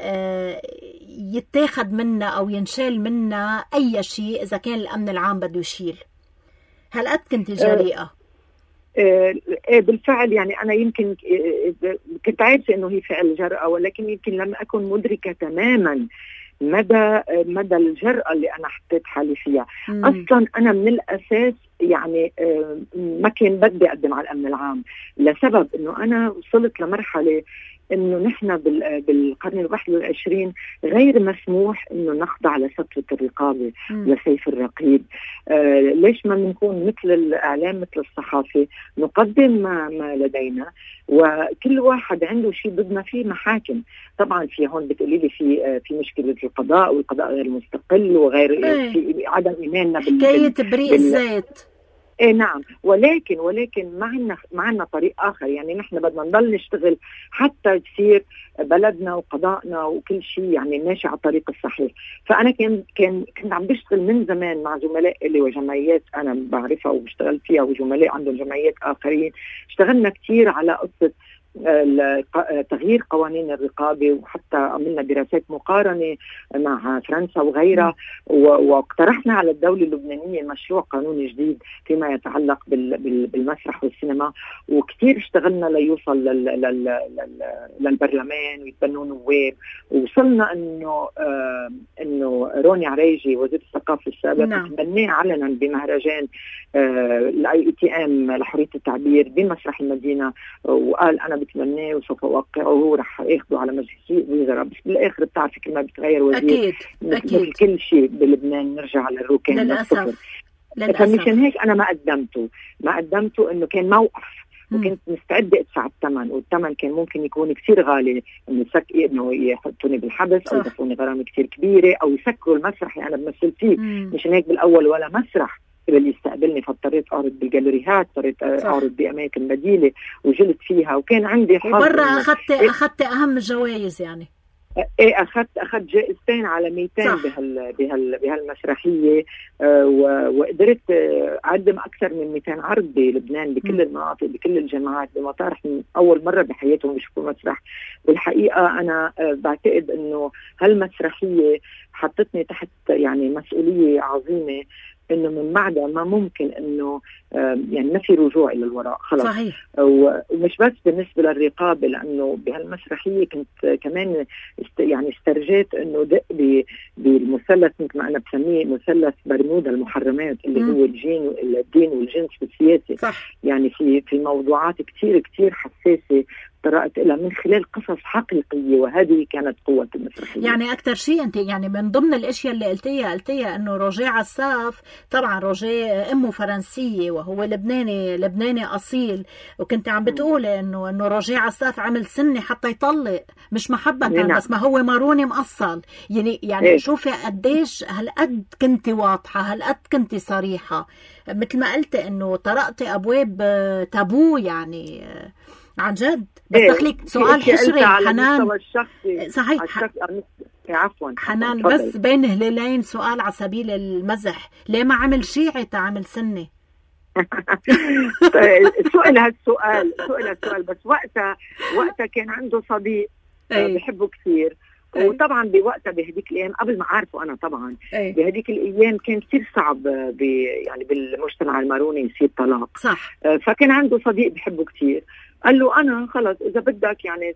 يتاخد منا أو ينشال منا أي شيء إذا كان الأمن العام بده يشيل. هالقد كنتي جريئة. بالفعل يعني أنا يمكن كنت عارفة إنه هي فعل جرأة، ولكن يمكن لم أكن مدركة تماما مدى الجرأة اللي أنا حطيت حالي فيها. أصلا أنا من الأساس يعني ما كان بدي أقدم على الأمن العام، لسبب إنه أنا وصلت لمرحلة إنه نحن بالقرن 21 غير مسموح إنه نخضع لسطوة الرقابة لسيف الرقيب. ليش ما نكون مثل الإعلام مثل الصحافة نقدم ما لدينا، وكل واحد عنده شيء بدنا فيه محاكم. طبعا في هون بتقولي لي في مشكلة القضاء والقضاء غير مستقل وغير في عدم إيماننا حكاية بريء الذات. نعم، ولكن معنا طريق آخر. يعني نحن بدنا نضل نشتغل حتى تصير بلدنا وقضاءنا وكل شيء يعني ماشي على الطريق الصحيح. فأنا كنت عم بشتغل من زمان مع زملاء لي وجمعيات أنا بعرفها وبشتغل فيها، وزملاء عندهم جمعيات آخرين. اشتغلنا كتير على قصة تغيير قوانين الرقابة، وحتى عملنا دراسات مقارنة مع فرنسا وغيرها، واقترحنا على الدولة اللبنانية مشروع قانون جديد فيما يتعلق بالمسرح والسينما. وكتير اشتغلنا ليوصل للبرلمان ويتبنوا نواب، ووصلنا انه روني عريجي وزير الثقافة السابق تبناه علنا بمهرجان الIETM لحرية التعبير بمسرح المدينة، وقال أنا بتمناه وسوف أوقعه ورح ياخده على مجلس الوزراء. بس بالآخر بتعرفي كل ما بتغير وزير أكيد كل شيء بلبنان نرجع للروكان للأسف. فمشان هيك أنا ما قدمته إنه كان موقف، وكنت مستعدة أدفع الثمن، والثمن كان ممكن يكون كثير غالي، إنه يحطوني بالحبس أو يدفعوني غرامة كثير كبيرة أو يسكروا المسرح اللي أنا بمثل فيه. مشان هيك بالأول ولا مسرح اللي يستقبلني، فاضطريت أعرض بالجاليريات، اضطريت أعرض بأماكن بديلة وجلت فيها، وكان عندي حظ. وبرا أخذت أهم الجوائز يعني. أخذت جائزتين عالميتين بهالمسرحية، وقدرت أقدم أكثر من 200 عرض بلبنان بكل المناطق بكل الجامعات بمطارح من أول مرة بحياتهم يشوفوا مسرح. بالحقيقة أنا بعتقد أنه هالمسرحية حطتني تحت يعني مسؤولية عظيمة، انه من بعدها ما ممكن انه يعني ما في رجوع الى الوراء خلاص. صحيح. ومش بس بالنسبه للرقابه، لانه بهالمسرحيه كنت كمان يعني استرجيت انه دق بالمثلث مثل ما انا بسميه مثلث برمودا المحرمات اللي هو الدين والجنس والسياسه. صح. يعني في موضوعات كتير حساسه طرقت لها من خلال قصص حقيقية، وهذه كانت قوة المسرحية. يعني أكتر شيء أنت يعني من ضمن الأشياء اللي قلتيها أنه روجيه عساف، طبعا روجيه أمه فرنسية وهو لبناني أصيل، وكنت عم بتقولي أنه روجيه عساف عمل سنة حتى يطلق، مش محبة بس ما هو ماروني مأصل. يعني شوفي قديش هالقد كنت واضحة، هالقد كنت صريحة، مثل ما قلت أنه طرقتي أبواب تابو يعني عن جد. بس دخلك سؤال حشري حنان. صحيح. عفوا حنان، بس بين هلالين سؤال على سبيل المزح، ليه ما عمل شيعي تعمل سنة؟ سؤال هالسؤال بس وقتها كان عنده صديق بحبه كثير، وطبعا بوقتها بهديك الايام قبل ما عارفه انا طبعا بهديك الايام كان كثير صعب يعني بالمجتمع الماروني يصير طلاق. صح. فكان عنده صديق بحبه كثير، قال له أنا خلص إذا بدك يعني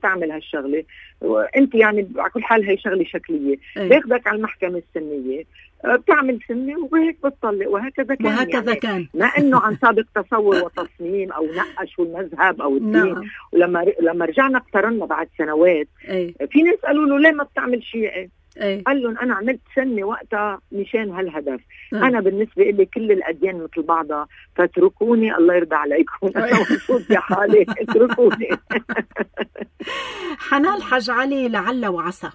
تعمل هالشغلة وأنت يعني على كل حال هي شغلة شكلية، باخدك على المحكمة السنية بتعمل سنة وهيك بتطلق. وهكذا كان ما إنه عن سابق تصور وتصميم أو نقش والمذهب أو الدين. ولما رجعنا اقترنا بعد سنوات في ناس قالوا له ليه ما بتعمل شيعي؟ قال لهم أنا عملت سنة وقتها مشان هالهدف. أنا بالنسبة لي كل الأديان مثل بعضها، فاتركوني الله يرضى عليكم، أنا مبسوط بحالي اتركوني. حنان حاج علي، لعل وعسى،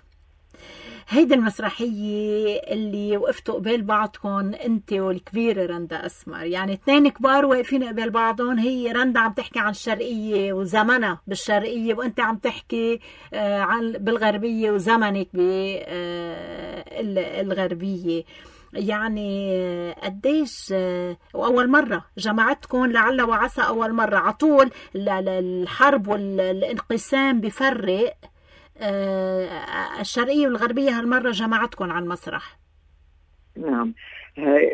هيدي المسرحية اللي وقفتوا قبال بعضكم انت والكبيرة رندا أسمر، يعني اثنين كبار واقفين قبال بعضهم. هي رندا عم تحكي عن الشرقية وزمنها بالشرقية، وانت عم تحكي عن بالغربية وزمنك بالغربية. يعني قديش وأول مرة جمعتكم لعل وعسى، أول مرة عطول الحرب والانقسام بفرق الشرقية والغربية، هالمرة جمعتكم على المسرح. نعم،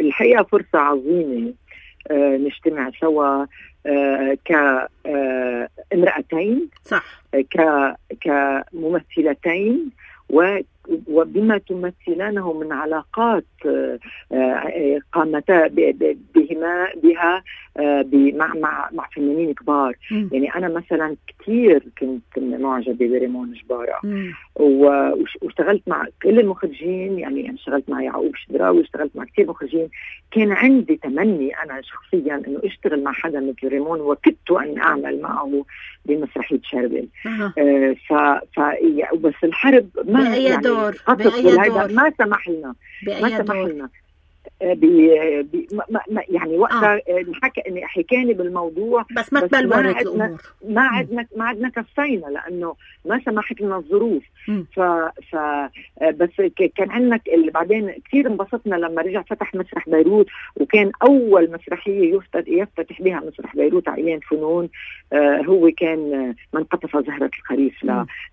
الحقيقة فرصة عظيمة نجتمع سوا كامرأتين، صح، كممثلتين، وبما تمثلانه من علاقات قامتا بها مع فنانين كبار. يعني أنا مثلا كتير كنت معجبة بريمون جبارة، واشتغلت مع كل المخرجين. يعني اشتغلت مع يعقوب شدراوي، اشتغلت مع كتير مخرجين. كان عندي تمني أنا شخصيا أنه اشتغل مع حدا مثل ريمون، وكدت أن أعمل معه بمسرحية شربل. بس الحرب ما بأي دور ما سمح لنا يعني وقتها حكاني بالموضوع، بس ما تبلورت الأمور، ما عدنا كفينا لأنه ما سمحت لنا الظروف. بس كان عندنا بعدين كثير انبسطنا لما رجع فتح مسرح بيروت، وكان أول مسرحية يفتتح بها مسرح بيروت على أيام فنون هو كان من قطف زهرة الخريف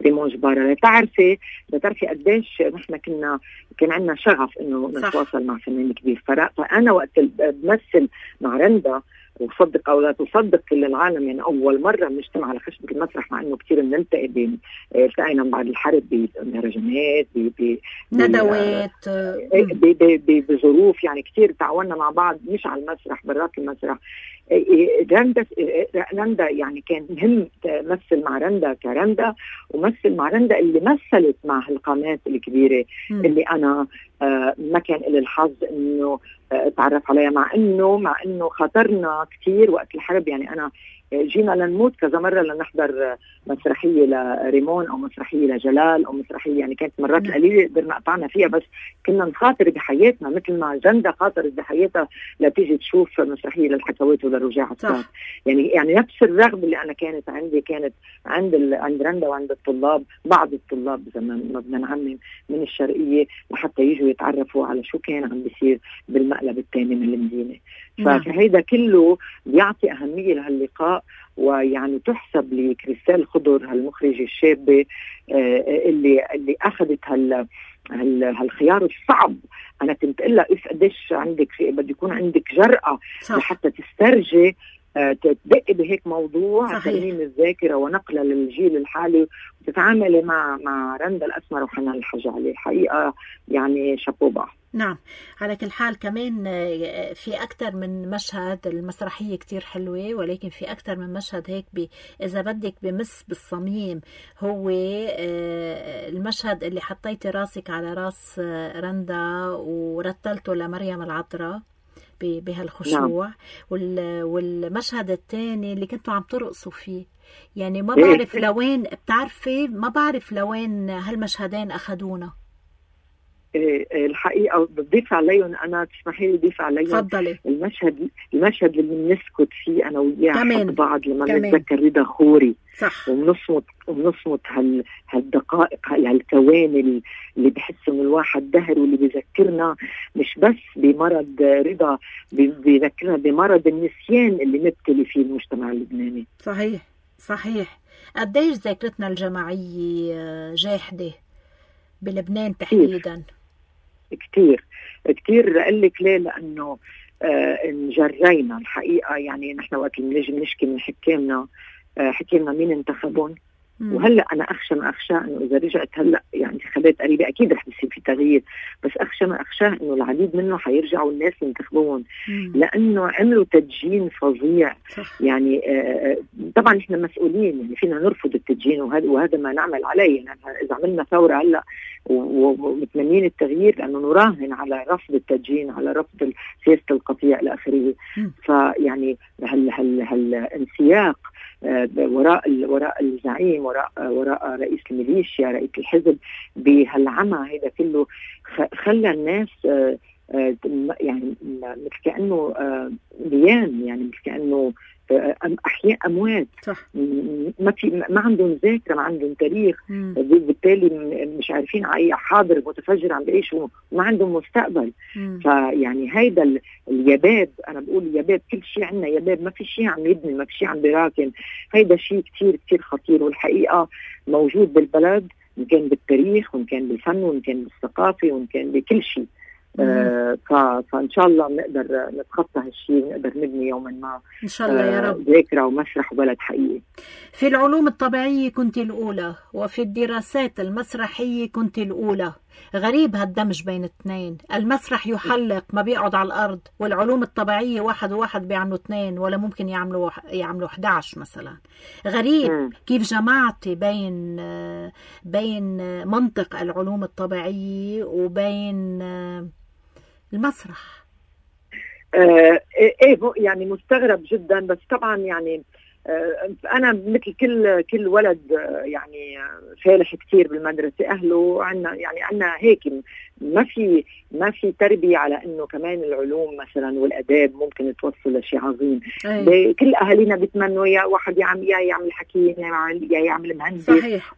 لريمون جبارة. لتعرفي قديش نحن كان عندنا شغف إنه نتواصل مع فنان كبير. فأنا وقت بمثل مع رندا، وصدق أو لا تصدق كل العالم، يعني أول مرة بنجتمع على خشبة المسرح، مع إنه كتير بنلتقي التقينا بعد الحرب بمهرجانات ندوات بظروف، يعني كتير تعاوننا مع بعض مش على المسرح برات المسرح. رندا يعني كان مهم تمثل مع رندا كرندا، ومثل مع رندا اللي مثلت مع هالقامات الكبيرة اللي أنا ما كان لي الحظ إنه أتعرف عليها، مع إنه خطرنا كتير وقت الحرب. يعني أنا جينا لنموت كذا مرة لنحضر مسرحية لريمون أو مسرحية لجلال أو مسرحية، يعني كانت مرات قليلة قدرنا قطعنا فيها، بس كنا نخاطر بحياتنا مثل ما جندا خاطرت بحياتها لتيجي تشوف مسرحية للحكوات وللرجاء عساف. يعني نفس الرغبة اللي أنا كانت عندي كانت عند رندا وعند الطلاب، بعض الطلاب زمان ما بدنا نعمم من الشرقية، لحتى يجوا يتعرفوا على شو كان عم بيصير بالمقلب الثاني من المدينة. فهيدا كله بيعطي أهمية لهاللقاء، ويعني تحسب لكريستال خضر هالمخرجة الشابة اللي أخذت هالخيار الصعب. أنا كنت قلها قديش عندك بده يكون عندك جرأة لحتى تسترجي تدقي بهيك موضوع ترميم الذاكرة ونقلها للجيل الحالي وتتعاملي مع رندا الأسمر وحنان الحاج علي. الحقيقة يعني شابوبا. نعم. على كل حال كمان في أكتر من مشهد، المسرحية كتير حلوة، ولكن في أكتر من مشهد هيك إذا بدك بمس بالصميم. هو المشهد اللي حطيتي راسك على راس رندا ورتلته لمريم العذراء بهالخشوع. والمشهد الثاني اللي كنتوا عم ترقصوا فيه، يعني ما بعرف لوين، بتعرفي ما بعرف لوين هالمشهدين أخدونا. الحقيقة بضيف عليهم، أنا تسمحي لي أضيف عليهم. تفضلي. المشهد اللي بنسكت فيه أنا وياه حق بعض لما نتذكر رضا خوري. صح. وبنصمت هالدقائق، هالثواني اللي بحس إنه الواحد دهر، واللي بيذكرنا مش بس بمرض رضا، بيذكرنا بمرض النسيان اللي مبتلي فيه المجتمع اللبناني. صحيح. قديش ذاكرتنا الجماعية جاحدة بلبنان تحديدا؟ كتير. قال لك ليه؟ لأنه انجرينا الحقيقة. يعني نحن وقت اللي نشكي من حكامنا، حكينا مين انتخبون، وهلا انا اخشى ما اخشاه انه اذا رجعت هلا يعني انتخابات قريبه اكيد رح يصير في تغيير، بس اخشى ما اخشاه انه العديد منه حيرجعوا الناس ينتخبون، لانه عملوا تدجين فظيع. يعني طبعا نحن مسؤولين، يعني فينا نرفض التدجين وهذا ما نعمل عليه. يعني اذا عملنا ثوره هلا ومتمنين التغيير، لانه نراهن على رفض التدجين، على رفض سياسه القطيع الى اخره. فيعني هالانسياق وراء الزعيم، وراء رئيس الميليشيا، رئيس الحزب، بهالعمى هذا كله خلى الناس يعني مثل كأنه بيان، يعني مثل كأنه أحياء أموات. ما عندهم ذاكرة، ما عندهم تاريخ، بالتالي مش عارفين أي حاضر متفجر عم بيعيشوا، وما عندهم مستقبل. فيعني هيدا اليباب، أنا بقول يباب، كل شيء عندنا يباب، ما في شيء عم يبني، ما في شيء عم بيراكن. هيدا شيء كتير كتير خطير، والحقيقة موجود بالبلد، إن كان بالتاريخ، وإن كان بالفن، وإن كان بالثقافة، وإن كان بكل شيء. فإن شاء الله نقدر نتخطى هالشيء، ونقدر نبني يوما ما إن شاء الله يا رب ذاكرة ومسرح وبلد حقيقي. في العلوم الطبيعية كنت الأولى، وفي الدراسات المسرحية كنت الأولى. غريب هالدمج بين الاثنين. المسرح يحلق، ما بيقعد على الأرض، والعلوم الطبيعية واحد وواحد بيعملوا 2 ولا ممكن يعملوا 11 مثلا. غريب كيف جمعتي بين منطق العلوم الطبيعية وبين المسرح. يعني مستغرب جدا، بس طبعا يعني أنا مثل كل ولد يعني فالح كتير بالمدرسة. أهله عنا هيك ما في تربية على إنه كمان العلوم مثلا والآداب ممكن توصل لشيء عظيم. كل أهالينا بيتمنوا يا واحد يعمل حكيم، يا يعمل مهندس،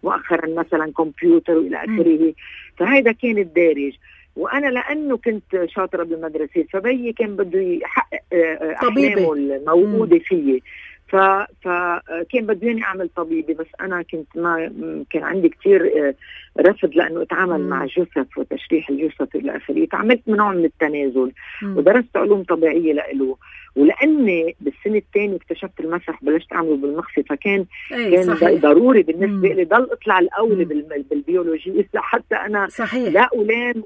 مؤخرا مثلا كمبيوتر وإلى آخره. فهذا كان الدارج. وأنا لأنه كنت شاطرة بالمدرسة، فبي كان بده يحقق أحلامه الموجودة فيه، فكان بديني أعمل طبيبي. بس أنا ما كان عندي كتير رفض، لأنه أتعامل مع جثث وتشريح الجثث إلى آخره. تعاملت من نوع من التنازل ودرست علوم طبيعية لإله. ولأني بالسنة الثانية اكتشفت المسرح، بلشت أعمله بالمخفي، فكان ضروري بالنسبة لي ضل أطلع الأول بالبيولوجي، حتى أنا لا ألام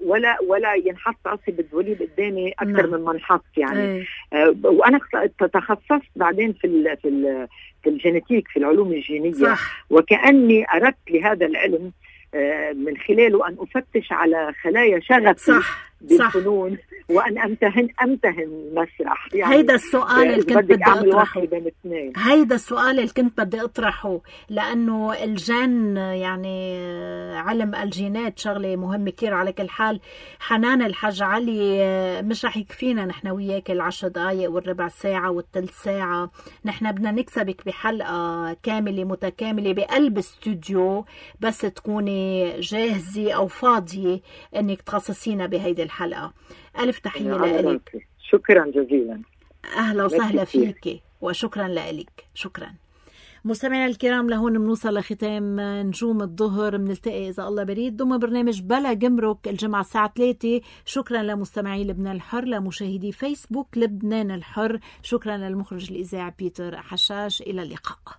ولا ينحط راسي بالدوليب قدامي أكثر من ما انحط يعني. وأنا تخصصت بعدين في الجينيتيك، في العلوم الجينية. وكأني أردت لهذا العلم من خلاله أن أفتش على خلايا شغفي بالفنون، وأن أمتهن المسرح. يعني هيدا السؤال اللي كنت بدي أطرحه. هيدا السؤال اللي كنت بدي أطرحه، لأنه الجن يعني علم الجينات شغلة مهمة كتير. على كل حال حنان الحاج علي مش رح يكفينا نحن وياك 10 دقايق والربع ساعة والثلث ساعة. نحن بدنا نكسبك بحلقة كاملة متكاملة بقلب استوديو، بس تكوني جاهزة أو فاضية إنك تخصصينا بهيدي الحلقة. ألف تحية لك. شكرا جزيلا. أهلا وسهلا فيك، وشكرا لك. شكرا. مستمعينا الكرام، لهون بنوصل لختام نجوم الظهر. بنلتقي إذا الله بريد ضمن برنامج بلا جمرك الجمعة الساعة 3. شكرا لمستمعي لبنان الحر، لمشاهدي فيسبوك لبنان الحر، شكرا للمخرج الإذاعي بيتر حشاش. إلى اللقاء.